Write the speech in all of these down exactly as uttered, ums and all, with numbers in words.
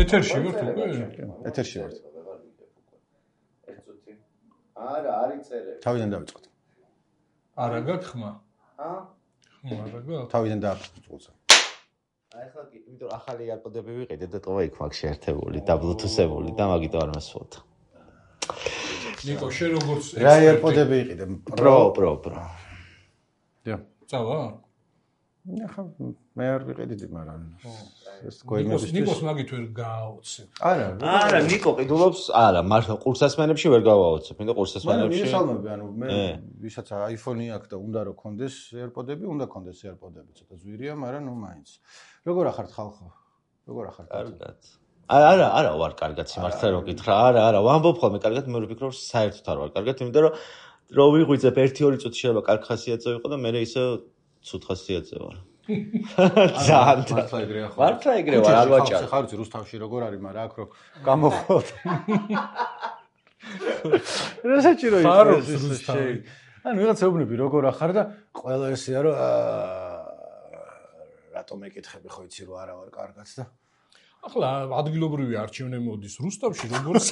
ეთერში ვართ უკვე? ეთერში ვართ. არა, არის წერე. თავიდან დავიწყოთ. არა გაქვს ხმა? ა? ხმა არა გაქვს? თავიდან დააწყოთ. აი ხა კი, იმიტომ რომ ახალი AirPod-ები ვიყიდე და ტოვა იქ მაქვს შეერთებული და Bluetooth-ებული და მაგით არ მასვოთ. ნიკო, შენ როგორც რა AirPod-ები იყიდე? Pro, Pro, Pro. დიო. წავა? ახლა მე არ ვიყიდიდი, მაგრამ ეს ნიკოს გოიმებისთვის. ნიკოს მაგით ვერ გააოცებ. არა, არა, ნიკო ყიდულობს, არა, მართლა ყურსასმენებში ვერ გავაოცებ, იმიტომ ყურსასმენებში. მე მისალმები, ანუ მე ვისაც iPhone-ი აქვს და უნდა რომ კონდეს AirPod-ები, უნდა კონდეს AirPod-ები, ცოტა ზვირია, მაგრამ ნუ მაინც. როგორ ახართ ხალხო? როგორ ახართ? კარგად. არა, არა ვარ კარგად, სიმართლე რომ გითხრა. არა, არა, ვამბობ ხოლმე კარგად, მე ვფიქრობ საერთოდ არ ვარ კარგად, იმიტომ რომ რო ვიღვიძებ ერთი ორი წუთი შეიძლება კარგ ხასიათზე ვიყო და მე ისე ცუდ ხასიათზე ვარ. ძალიან მართლა ეგრეა ხო? მართლა ეგრე ვარ, არ ვაჭარ. ხარ იცი რუსთავში როგორ არის, მაგრამ აქ რო გამოხოთ. რა საჭირო ხარობს რუსთავი. ანუ ვიღაცა უბნები როგორ ახარ და ყველა ესეა რომ რატომ ეკითხები ხო იცი რომ არა ვარ კარგად და ახლა ადგილობრივი არჩევნე მოდის რუსთავში როგორც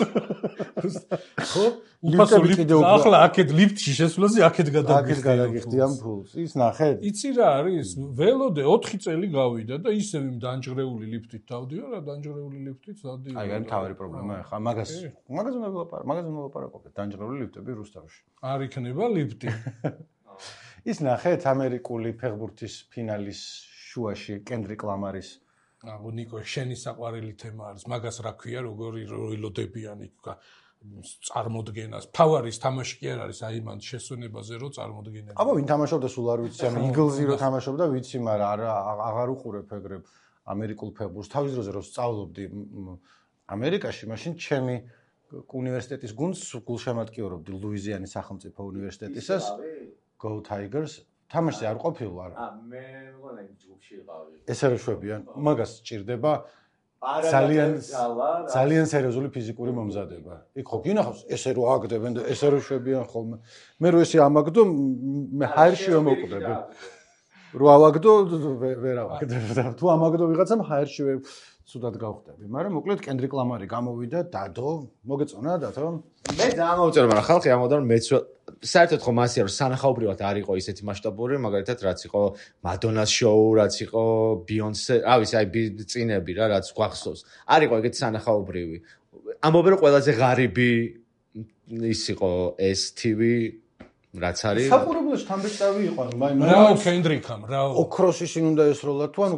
ხო უფასო ლიფტი ახლა აქეთ ლიფტში შესვლაზე აქეთ გადაგიხდი აქეთ გადაგიხდი ამ ფულს ის ნახეთ იცი რა არის ველოდე ოთხი წელი გავიდა და ისევ იმ დანჯღრეული ლიფტით დავდიო რა დანჯღრეული ლიფტით დავდიო აი აი თავი პრობლემა ხა მაგას მაგას უნდა ვილაპარაკო მაგას უნდა ვილაპარაკო დანჯღრეული ლიფტები რუსთავში არ იქნება ლიფტი ის ნახეთ ამერიკული ფეხბურთის ფინალის შუაში კენდრიკ ლამარის აგო ნიკო შენი საყვარელი თემა არის მაგას რა ქვია როგორი როილოდებიანი წარმოდგენას ფავარის თამაში კი არ არის აი მან შესვენებაზე რო წარმოდგენა აბა ვინ თამაშობდა სულ არ ვიცი ანუ იგლზი რო თამაშობდა ვიცი მაგრამ არ აღარ უყურებ ეგრებ ამერიკულ ფეხბურთს თავის დროზე რო სწავლობდი ამერიკაში მაშინ ჩემი უნივერსიტეტის გუნდს გულშემატკივრობდი ლუიზიანის სახელმწიფო უნივერსიტეტისას Go Tigers თამაში არ ყოფილ ვარ. ა მე მგონი ჯგუფში ვიყავი. ესე რო შვებიან, მაგას სჭირდება ძალიან ძალიან სერიოზული ფიზიკური მომზადება. იქ ხო გინახავს ესე რო აგდებენ და ესე რო შვებიან ხოლმე. მე რო ესე ამაგდო მე ჰაერში რომ მოვკვდები. რო ავაგდო ვერ ავაგდებ. თუ ამაგდო ვიღაცამ ჰაერში ცუდად გავხდები. მაგრამ მოკლედ კენდრიკ ლამარი გამოვიდა დადო, მოგეწონა დათო? მე ძალიან მოვწერე, მაგრამ ხალხი ამოდა რომ მეც საერთოდ ხო მასია რომ სანახაობრივად არ იყო ისეთი მასშტაბური, მაგალითად რაც იყო მადონას შოუ, რაც იყო ბიონსე, რა ვიცი, აი წინები რა, რაც გვახსოვს. არ იყო ეგეთი სანახაობრივი. ამბობენ რომ ყველაზე ღარიბი ის იყო ეს ტი ვი რაც არის საყურებლოში თამბეჭდავი იყო ანუ მაინც რაო კენდრიკამ რაო ოქროსი შინ უნდა ესროლა თუ ანუ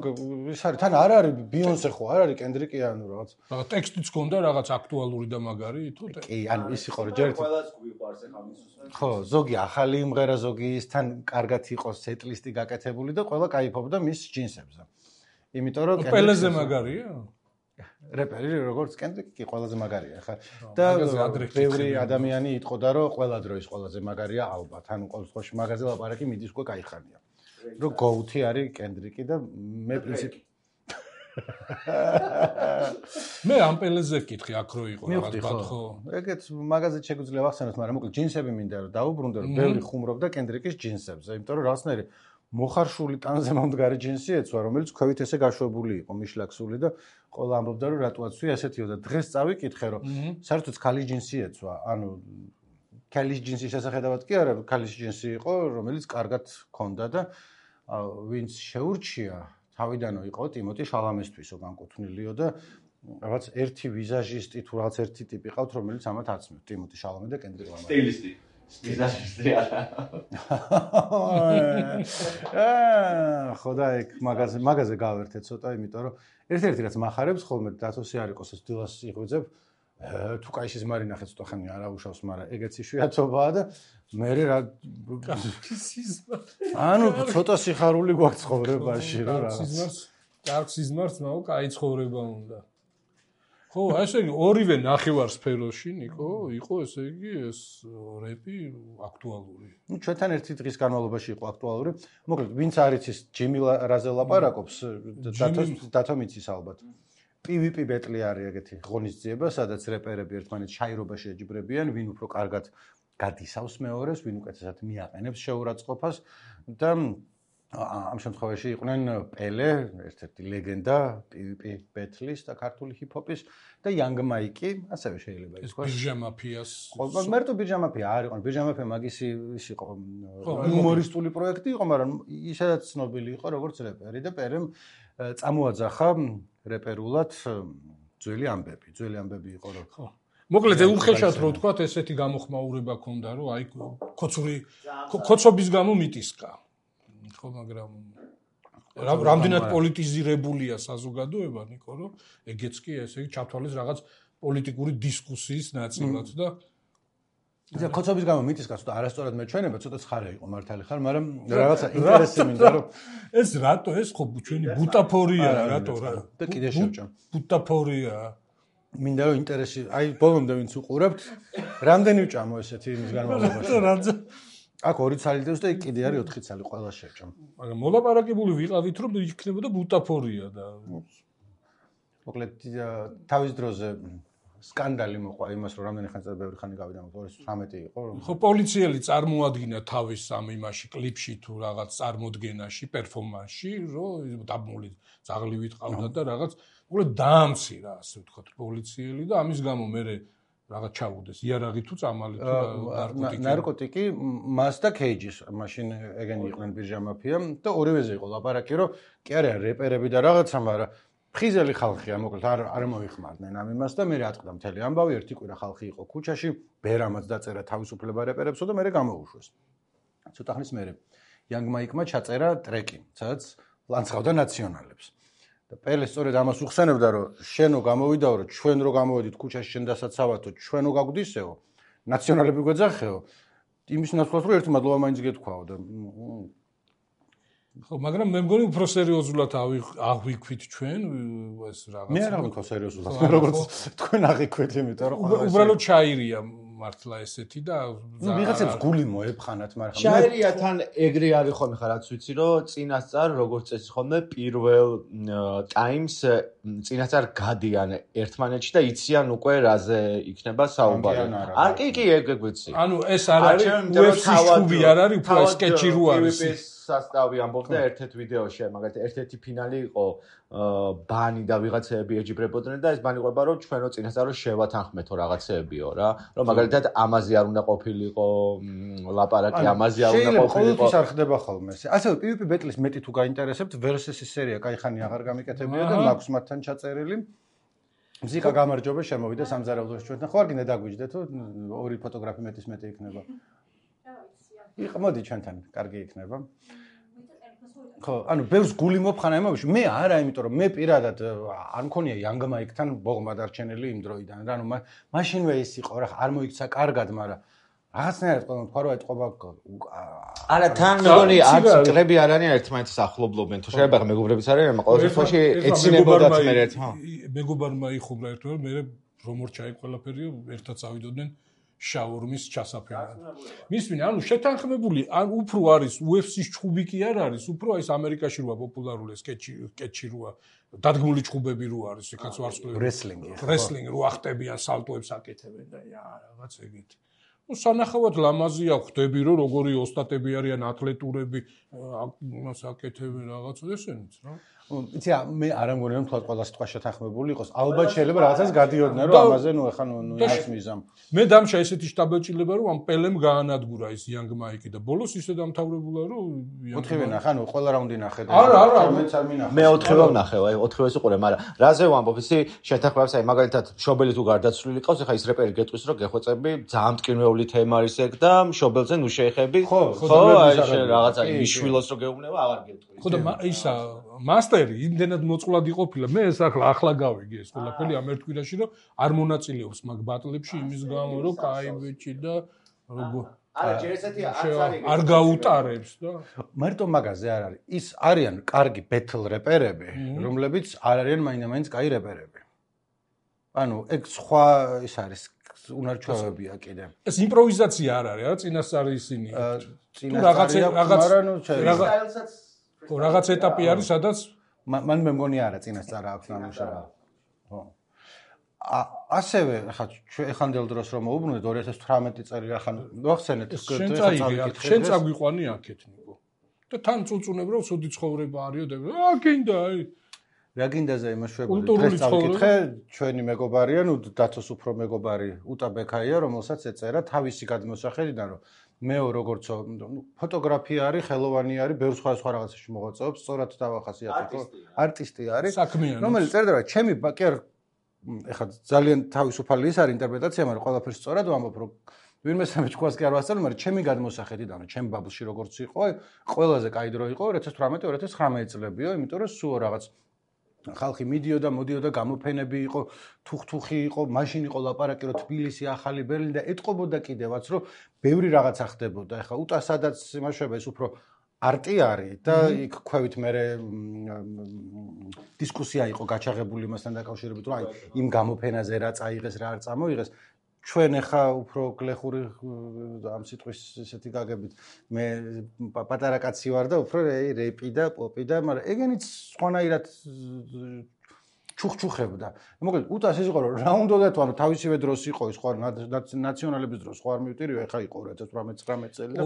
ის არის თან არ არის ბიონსე ხო არ არის კენდრიკი ანუ რაღაც რაღაც ტექსტიც ქონდა რაღაც აქტუალური და მაგარი თუ კი ანუ ის იყო რომ ჯერ ყველას გვიყვარს ახლა მისუსმენ ხო ზოგი ახალი იმღერა ზოგი ისთან კარგად იყო სეტლისტი გაკეთებული და ყველა кайფობდა მის ჯინსებზე იმიტომ რომ პელეზე მაგარია რეპერი როგორც კენდრიკი კი ყველაზე მაგარია ხა და ბევრი ადამიანი იტყოდა რომ ყველა დროის ყველაზე მაგარია ალბათ ანუ ყოველ შემთხვევაში მაგაზე ლაპარაკი მიდის უკვე кайხანია რომ გოუთი არის კენდრიკი და მე პრინციპი მე ამ პელეზე ვკითხი აქ რო იყო რაღაც ბათხო ეგეც მაგაზეთ შეგვიძლია ვახსენოთ მაგრამ მოკლედ ჯინსები მინდა რომ დაუბრუნდე რომ ბევრი ხუმრობდა კენდრიკის ჯინსებზე იმიტომ რომ რაღაცნაირი მოხარშული ტანზე მომდგარი ჯინსი ეცვა, რომელიც ქვევით ესე გაშვებული იყო, მიშლაქსული და ყველა ამბობდა რომ რატო აცვია ესეთიო და დღეს წავიკითხე რომ საერთოდ ქალის ჯინსი ეცვა, ანუ ქალის ჯინსის შესახედავად კი არა, ქალის ჯინსი იყო, რომელიც კარგად ქონდა და ვინც შეურჩია, თავიდანო იყო ტიმოტი შალამესთვისო განკუთვნილიო და რაღაც ერთი ვიზაჟისტი თუ რაღაც ერთი ტიპი ყავთ, რომელიც ამათ აცნობს, ტიმოტი შალამე და კენდრიკ ლამარი. სტილისტი ვიზაჟისტი არა. აა, ხოდა ეგ მაგაზე მაგაზე გავერთე ცოტა, იმიტომ რომ ერთ-ერთი რაც მახარებს ხოლმე დათოსი არ იყოს ეს დილას იღვიძებ, თუ кайშის მარი ნახე ცოტა ხანი არ აუშავს, მაგრამ ეგეც იშვიათობაა და მე რა ანუ ცოტა სიხარული გვაქვს ცხოვრებაში რა რა. კარგ სიზმარს მაო კაი ცხოვრება უნდა. ხო, ესე იგი ორივე ნახევარსფეროში, ნიკო, იყო ესე იგი ეს რეპი აქტუალური. ნუ ჩვენთან ერთი დღის განმავლობაში იყო აქტუალური. მოკლედ, ვინც არ იცის ჯიმი რაზე ლაპარაკობს, დათო მიცის ალბათ. პი ვი პი ბეტლი არის ეგეთი ღონისძიება, სადაც რეპერები ერთმანეთს შაირობაში ეჯიბრებიან, ვინ უფრო კარგად გადისავს მეორეს, ვინ უკეთესად მიაყენებს შეურაცხყოფას და ამ შემთხვევაში იყვნენ პელე, ერთ-ერთი ლეგენდა პი-ვი-პი ბეთლის და ქართული ჰიპ-ჰოპის და Young Mike-ი, ასევე შეიძლება ითქვას. ბირჟა მაფიას. ხო, მარტო ბირჟა მაფია არ იყო. ბირჟა მაფია მაგისი ის იყო ჰუმორისტული პროექტი იყო, მაგრამ ისედაც ცნობილი იყო როგორც რეპერი და პერემ წამოაძახა რეპერულად ძველი ამბები. ძველი ამბები იყო რომ ხო. მოკლედ უხეშად რო თქვა ესეთი გამოხმაურება ქონდა რომ აი ქოცური ქოცობის გამო მიტისკა. ხო, მაგრამ რამდენად პოლიტიზირებულია საზოგადოება, ნიკო, რომ ეგეც კი ესე იგი ჩათვალეს რაღაც პოლიტიკური დისკუსიის ნაწილად და ისა ქოცობის გამო მიტისკაც და არასწორად მეჩვენება, ცოტა ცხარე იყო მართალი ხარ, მაგრამ რაღაცა ინტერესი მინდა რომ ეს რატო ეს ხო ჩვენი ბუტაფორია რატო რა და კიდე შევჭამ. ბუტაფორია მინდა რომ ინტერესი, აი ბოლომდე ვინც უყურებთ, რამდენი ვჭამო ესეთი იმის განმავლობაში. აქ ორი ცალი დევს და კიდე არის ოთხი ცალი ყველა შევჭამ. მაგრამ მოლაპარაკებული ვიყავით რომ იქნებოდა ბუტაფორია და მოკლედ თავის დროზე სკანდალი მოყვა იმას რომ რამდენი ხანს ბევრი ხანი გავიდა ორი ათას ცხრამეტი იყო რომ ხო პოლიციელი წარმოადგინა თავის ამ იმაში კლიპში თუ რაღაც წარმოდგენაში პერფორმანსში რომ დაბმული ძაღლივით ყავდა და რაღაც მოკლედ დაამცირა ასე ვთქვათ პოლიციელი და ამის გამო მე რაღაც ჩაუდეს იარაღი თუ წამალი თუ ნარკოტიკი ნარკოტიკი მას და კეიჯის მაშინ ეგენი იყვნენ ბირჟა მაფია და ორივეზე იყო ლაპარაკი რომ კი არა რეპერები და რაღაცა მაგრამ ხიზელი ხალხია მოკლედ არ არ მოიხმარდნენ ამ იმას და მე რატყდა მთელი ამბავი ერთი კვირა ხალხი იყო ქუჩაში ბერამაც დაწერა თავისუფლება რეპერებსო და მე გამოუშვეს ცოტა ხნის მერე Young Mike-მა ჩაწერა ტრეკი სადაც ლანცღავდა ნაციონალებს და პელე სწორედ ამას უხსენებდა რომ შენო გამოვიდაო რომ ჩვენ რო გამოვედით ქუჩაში შენ დასაცავათო ჩვენო გაგვდისეო ნაციონალები გვეძახეო იმის ნაცვლად რომ ერთი მადლობა მაინც გეთქვაო და ხო, მაგრამ მე მგონი უფრო სერიოზულად აღვიქვით ჩვენ ეს რაღაც. მე არ აღვიქვა სერიოზულად, როგორც თქვენ აღვიქვით, იმიტომ რომ უბრალოდ ჩაირია მართლა ესეთი და ნუ ვიღაცებს გული მოეფხანათ, მაგრამ ჩაირია თან ეგრე არის ხოლმე ხა რაც ვიცი რომ წინასწარ როგორც წესი ხოლმე პირველ ტაიმს წინასწარ გადიან ერთმანეთში და იციან უკვე რაზე იქნება საუბარი. არ კი კი ეგ ვიცი. ანუ ეს არ არის U F C-ს ჩუბი არ არის, უფრო სკეჩი რო არის. სასტავი ამბობდა ერთ-ერთ ვიდეოში, მაგალითად ერთ-ერთი ფინალი იყო ბანი და ვიღაცეები ეჯიბრებოდნენ და ეს ბანი ყვება რომ ჩვენო წინასწარ რომ შევათანხმეთო რაღაცეებიო რა, რომ მაგალითად ამაზე არ უნდა ყოფილიყო ლაპარაკი, ამაზე არ უნდა ყოფილიყო. ყოველთვის არ ხდება ხოლმე ესე. ასევე პი-ვი-პი ბეტლის მეტი თუ გაინტერესებთ, Versus-ის სერია кайხანი აღარ გამიკეთებია და მაქვს მათთან ჩაწერილი. მზიკა გამარჯობა შემოვიდა სამზარეულოში ჩვენთან. ხო არ გინდა დაგვიჯდეთ თუ ორი ფოტოგრაფი მეტის მეტი იქნება. იყო მოდი ჩვენთან, კარგი იქნება. ხო, ანუ ბევრს გული მოფხანა იმაში. მე არა, იმიტომ რომ მე პირადად არ მქონია Young Mike-თან ბოღმა დარჩენილი იმ დროიდან. რა ნუ მაშინვე ის იყო რა, არ მოიქცა კარგად, მაგრამ რაღაცნაირად ყველა თქვა რომ ეთყობა არა თან მეგონი არც კრები არ არიან ერთმანეთს ახლობლობენ. თუ შეიძლება მეგობრებიც არიან, მაგრამ ყოველ შემთხვევაში ეცინებოდათ მე ერთ. მეგობარმა იხუბლა ერთგვარ, მე რომ ორჩაი ყველაფერი ერთად წავიდოდნენ შაურმის ჩასაფერად. მისვინ, ანუ შეთანხმებული, ან უფრო არის U F C-ს ჩხუბი კი არ არის, უფრო ის ამერიკაში როა პოპულარული სკეჩი, სკეჩი როა, დადგმული ჩხუბები რო არის, ეკაც ვარსკვლავი. რესლინგი. რესლინგი რო ახტებიან, სალტოებს აკეთებენ და ია, რაღაც ეგეთ. ნუ სანახავად ლამაზია, ხვდები რომ როგორი ოსტატები არიან, ათლეტურები, იმას აკეთებენ რაღაც ესენიც რა. იცი მე არ ამგონია რომ თქვა ყველა სიტყვა შეთანხმებული იყოს. ალბათ შეიძლება რაღაცას გადიოდნენ რომ ამაზე ნუ ეხა ნუ ის მიზამ. მე დამშა ესეთი შტაბელჭილება რომ ამ პელემ გაანადგურა ის Young Mike და ბოლოს ისე დამთავრებულა რომ ოთხივე ნახე, ანუ ყველა რაუნდი ნახე და არა არა მეც არ მინახე. მე ოთხივე ვნახე, აი ოთხივეს უყურე, მაგრამ რაზე ვამბობ, ისი შეთანხმებას, აი მაგალითად მშობელი თუ გარდაცვლილი ყავს, ეხა ის რეპერი გეტყვის რომ გეხვეწები, ძალიან მტკივნეული თემა არის ეგ და მშობელზე ნუ შეეხები. ხო, აი რაღაცა მიშვილოს რომ გეუბნება, აღარ გეტყვის. ხო და ისა მასტერი იმდენად მოწყვლადი ყოფილა, მე ეს ახლა ახლა გავიგე ეს ყველაფერი ამ ერთ კვირაში რომ არ მონაწილეობს მაგ ბატლებში იმის გამო რომ კაი ბიჭი და როგორ არა ჯერ ესეთი არც არის არ გაუტარებს და მარტო მაგაზე არ არის ის არიან კარგი ბეთლ რეპერები რომლებიც არ არიან მაინდა-მაინც კაი რეპერები ანუ ეგ სხვა ის არის უნარჩვევებია კიდე ეს იმპროვიზაცია არ არის რა წინასწარი ისინი თუ რაღაც რაღაც სტაილსაც ხო რაღაც ეტაპი არის სადაც მან მე მგონი არა წინასწარ აქვს ნამუშევრა. ხო. ასევე ხა ეხანდელ დროს რომ მოუბრუნდეთ ორი ათას თვრამეტი წელი ახან მოახსენეთ შენ წაიგი შენ წაგვიყვანი აქეთ ნიკო. და თან წუწუნებ რომ სუდი ცხოვრება არისო და აა გინდა აი რა გინდაზე იმაშვებული დღეს წავიკითხე ჩვენი მეგობარია ნუ დათოს უფრო მეგობარი უტა ბექაია რომელსაც ეწერა თავისი გადმოსახედიდან რომ მეო როგორცო ნუ ფოტოგრაფია არის ხელოვანი არის ბევრ სხვა სხვა რაღაცაში მოღვაწეობს სწორად დავახასიათო არტისტი არის რომელიც წერდა რომ ჩემი კი არ ეხლა ძალიან თავისუფალი ის არის ინტერპრეტაცია მაგრამ ყველაფერს სწორად ვამბობ რომ ვინმე სამეჩქواسს კი არ ვასწავლე მაგრამ ჩემი გადმოსახედიდან რომ ჩემ ბაბლში როგორც იყო ყველაზე კაი დრო იყო two thousand eighteen two thousand nineteen წლებიო იმიტომ რომ სულ რაღაც ხალხი მიდიოდა, მოდიოდა, გამოფენები იყო, თუხთუხი იყო, მაშინ იყო ლაპარაკი რომ თბილისი, ახალი ბერლინი და ეთყობოდა კიდევაც რომ ბევრი რაღაცა ხდებოდა. ეხლა უტა სადაც იმაშება ეს უფრო არტი არის და იქ ქვევით მე დისკუსია იყო გაჩაღებული მასთან დაკავშირებით რომ აი იმ გამოფენაზე რა წაიღეს, რა არ წამოიღეს. ჩვენ ახლა უფრო გლეხური ამ სიტყვის ესეთი გაგებით მე პატარა კაცი ვარ და უფრო რეპი და პოპი და მაგრამ ეგენიც სხვანაირად ჩუხჩუხებდა. მოკლედ უტას ის იყო რომ რა უნდა თუ ანუ თავისივე დროს იყო ის სხვა ნაციონალების დროს სხვა არ მივტირიო ახლა იყო two thousand eighteen წელი და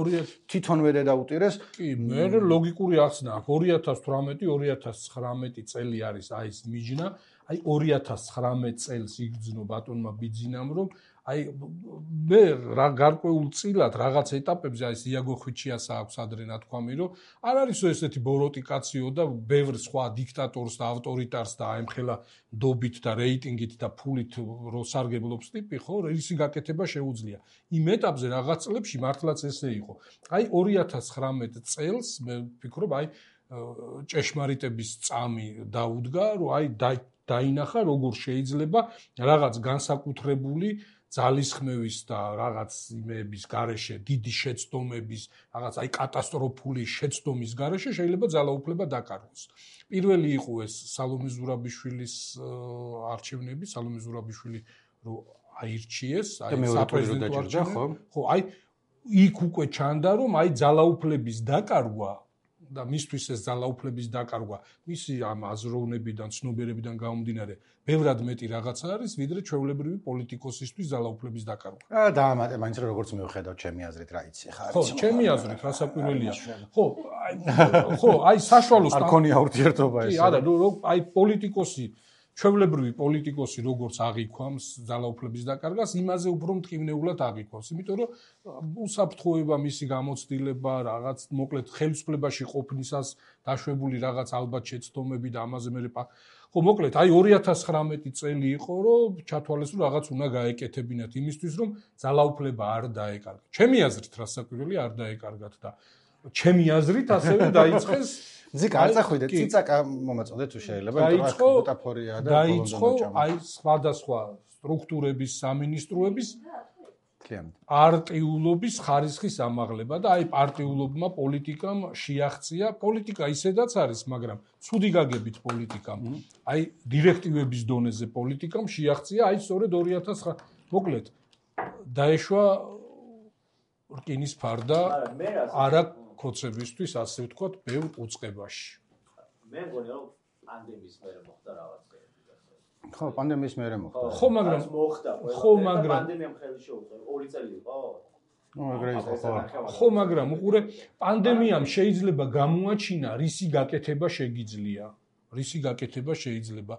თვითონვე დაუტირეს. კი მე ლოგიკური ახსნა აქვს two thousand eighteen two thousand nineteen წელი არის აი ეს მიჯნა აი two thousand nineteen წელს იგრძნო ბატონმა ბიძინამ რომ აი მე რა გარკვეულ წილად რაღაც ეტაპებზე აი იაგო ხვიჩიას აქვს ადრე ნათქვამი რომ არ არის ესეთი ბოროტი კაციო და ბევრ სხვა დიქტატორს და ავტორიტარს და აემხელა დობით და რეიტინგით და ფულით რო სარგებლობს ტიპი ხო ისი გაკეთება შეუძლია იმ ეტაპზე რაღაც წლებში მართლაც ესე იყო აი two thousand nineteen წელს მე ვფიქრობ აი ჭეშმარიტების წამი დაუდგა რომ აი დაინახა როგორ შეიძლება რაღაც განსაკუთრებული ძალისხმევის და რაღაც იმების გარეშე დიდი შეცდომების რაღაც აი კატასტროფული შეცდომის გარეშე შეიძლება ძალაუფლება დაკარგოს. პირველი იყო ეს სალომე ზურაბიშვილის არჩევნები, სალომე ზურაბიშვილი რო აირჩიეს, აი საპრეზიდენტო არჩევნები. ხო, აი იქ უკვე ჩანდა რომ აი ძალაუფლების დაკარგვა და მისთვის ეს ძალაუფლების დაკარგვა მისი ამ აზროვნებიდან, ცნობიერებიდან გამომდინარე, ბევრად მეტი რაღაცა არის, ვიდრე ჩვეულებრივი პოლიტიკოსისთვის ძალაუფლების დაკარგვა. აა დაამატე, მაინც როგორც მივხედავ ჩემი აზრით რა იცი ხარ. ხო, ჩემი აზრით რასაკვირველია. ხო, აი ხო, აი საშუალო არ ქონია ურთიერთობა ეს. კი, არა, აი პოლიტიკოსი ჩვეულებრივი პოლიტიკოსი როგორც აღიქვამს ძალაუფლების დაკარგას, იმაზე უფრო მტკივნეულად აღიქვამს, იმიტომ რომ უსაფრთხოება მისი გამოცდილება, რაღაც მოკლედ ხელისუფლებაში ყოფნისას დაშვებული რაღაც ალბათ შეცდომები და ამაზე მე ხო მოკლედ აი two thousand nineteen წელი იყო, რომ ჩათვალეს რომ რაღაც უნდა გაეკეთებინათ იმისთვის, რომ ძალაუფლება არ დაეკარგათ. ჩემი აზრით რასაკვირველია არ დაეკარგათ და ჩემი აზრით ასევე დაიწყეს ზიკა არ წახვიდე ციცაკა მომაწოდე თუ შეიძლება დაიწყო მეტაფორია და დაიწყო აი სხვადასხვა სტრუქტურების სამინისტროების მთლიანად პარტიულობის ხარისხის ამაღლება და აი პარტიულობმა პოლიტიკამ შეაღწია პოლიტიკა ისედაც არის მაგრამ ცუდი გაგებით პოლიტიკამ აი დირექტივების დონეზე პოლიტიკამ შეაღწია აი სწორედ two thousand მოკლედ დაეშვა რკინის ფარდა არა ქოცებისთვის ასე ვთქვათ ბევრ უწყებაში. მე მგონი რომ პანდემიის მერე მოხდა რაღაცა. ხო, პანდემიის მერე მოხდა. ხო, მაგრამ მოხდა. ხო, მაგრამ პანდემიამ ხელი შეუწყო. ორი წელი იყო. ნუ ეგრე იყო, ხო. ხო, მაგრამ უყურე პანდემიამ შეიძლება გამოაჩინა რისი გაკეთება შეგიძლია. რისი გაკეთება შეიძლება.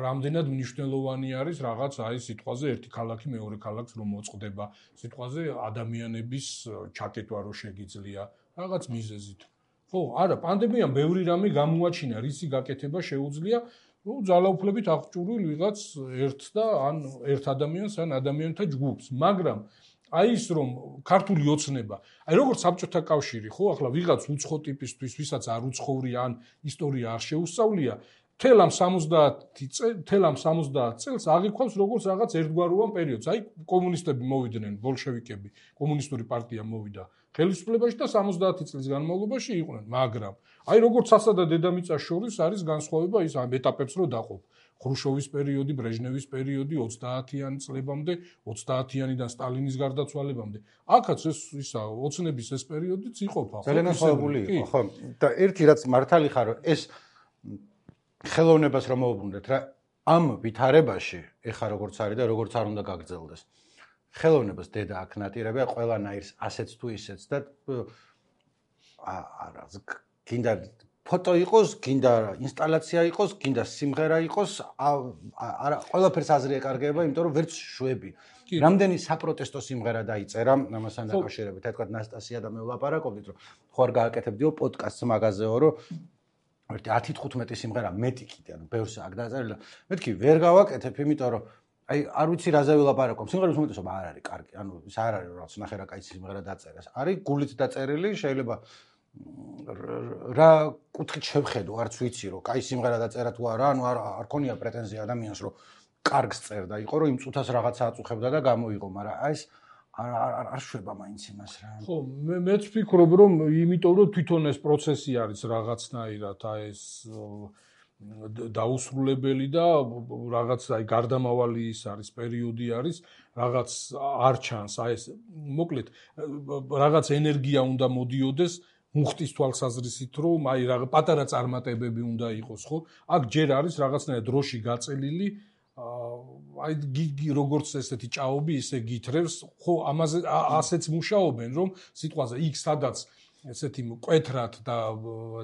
რამდენად მნიშვნელოვანი არის რაღაც აი სიტყვაზე ერთი ქალაქი მეორე ქალაქს რომ მოწყდება. სიტყვაზე ადამიანების ჩაკეტვა რო შეგიძლია. რაღაც მიზეზით. ხო, არა, პანდემიამ ბევრი რამე გამოაჩინა, რისი გაკეთება შეუძლია, ნუ ძალაუფლებით აღჭურვილ ვიღაც ერთ და ან ერთ ადამიანს ან ადამიანთა ჯგუფს, მაგრამ აი ის რომ ქართული ოცნება, აი როგორც საბჭოთა კავშირი, ხო, ახლა ვიღაც უცხო ტიპისთვის, ვისაც არ უცხოური ან ისტორია არ შეუსწავლია, თელ ამ სამოცდაათი თელ ამ სამოცდაათ წელს აღიქვამს როგორც რაღაც ერთგვაროვან პერიოდს. აი კომუნისტები მოვიდნენ, ბოლშევიკები, კომუნისტური პარტია მოვიდა ხელისუფლებაში და სამოცდაათი წლის განმავლობაში იყვნენ, მაგრამ აი როგორც ასა და დედამიწას შორის არის განსხვავება ის ამ ეტაპებს რო დაყოფ. ხრუშოვის პერიოდი, ბრეჟნევის პერიოდი, ოცდაათიანი წლებამდე, ოცდაათიანიდან სტალინის გარდაცვალებამდე. აქაც ეს ისა ოცნების ეს პერიოდიც იყოფა. ძალიან სხვაობული იყო, ხო. და ერთი რაც მართალი ხარო, ეს ხელოვნებას რომ მოუბრუნდეთ რა ამ ვითარებაში ეხა როგორც არის და როგორც არ უნდა გაგრძელდეს ხელოვნებას დედა აქ ნატირებია ყველანაირს ასეც თუ ისეც და არა გინდა ფოტო იყოს, გინდა ინსტალაცია იყოს, გინდა სიმღერა იყოს, არა ყველაფერს აზრი ეკარგება, იმიტომ რომ ვერც შვები. რამდენი საპროტესტო სიმღერა დაიწერა ამასთან დაკავშირებით, თქვა ნასტასია და მე ვლაპარაკობდით, რომ ხო არ გააკეთებდიო პოდკასტს მაგაზეო, რომ ერთი ათი თხუთმეტი სიმღერა მეტი კიდე, ანუ ბევრს აქ დაწერილი. მეთქი ვერ გავაკეთებ, იმიტომ რომ აი არ ვიცი რაზე ვილაპარაკობ. სიმღერის უმეტესობა არ არის კარგი, ანუ ის არ არის რაც ნახე რა კაი სიმღერა დაწერეს. არის გულით დაწერილი, შეიძლება რა კუთხით შევხედო, არც ვიცი რომ კაი სიმღერა დაწერა თუ არა, ანუ არ არ ქონია პრეტენზია ადამიანს რომ კარგს წერდა, იყო რომ იმ წუთას რაღაცა აწუხებდა და გამოიღო, მაგრამ აი ეს არ არ არ შვება მაინც იმას რა. ხო, მე მეც ვფიქრობ რომ იმიტომ რომ თვითონ ეს პროცესი არის რაღაცნაირად აი ეს დაუსრულებელი და რაღაც აი გარდამავალი ის არის პერიოდი არის, რაღაც არ ჩანს, აი ეს მოკლედ რაღაც ენერგია უნდა მოდიოდეს მუხტის თვალსაზრისით რომ აი რა პატარა წარმატებები უნდა იყოს, ხო? აქ ჯერ არის რაღაცნაირად დროში გაწელილი აი როგორც ესეთი ჭაობი ისე გითრევს, ხო, ამაზე ასეც მუშაობენ, რომ სიტყვაზე იქ სადაც ესეთი მკვეთრად და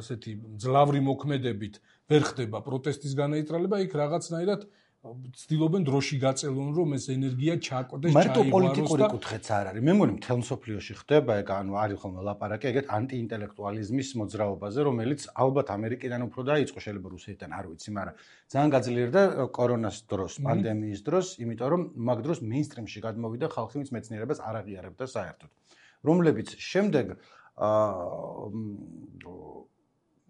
ესეთი ძლავრი მოქმედებით ვერ ხდება პროტესტის განაიტრალება, იქ რაღაცნაირად ცდილობენ დროში გაწელონ, რომ ეს ენერგია ჩაკვდეს, ჩაიგვაროს და მარტო პოლიტიკური კუთხეც არ არის. მე მგონი მთელ მსოფლიოში ხდება, ეგ ანუ არის ხოლმე ლაპარაკი ეგეთ ანტიინტელექტუალიზმის მოძრაობაზე, რომელიც ალბათ ამერიკიდან უფრო დაიწყო, შეიძლება რუსეთიდან, არ ვიცი, მაგრამ ძალიან გაძლიერდა კორონას დროს, პანდემიის დროს, იმიტომ რომ მაგ დროს მეინსტრიმში გადმოვიდა ხალხი, ვინც მეცნიერებას არ აღიარებდა საერთოდ. რომლებიც შემდეგ აა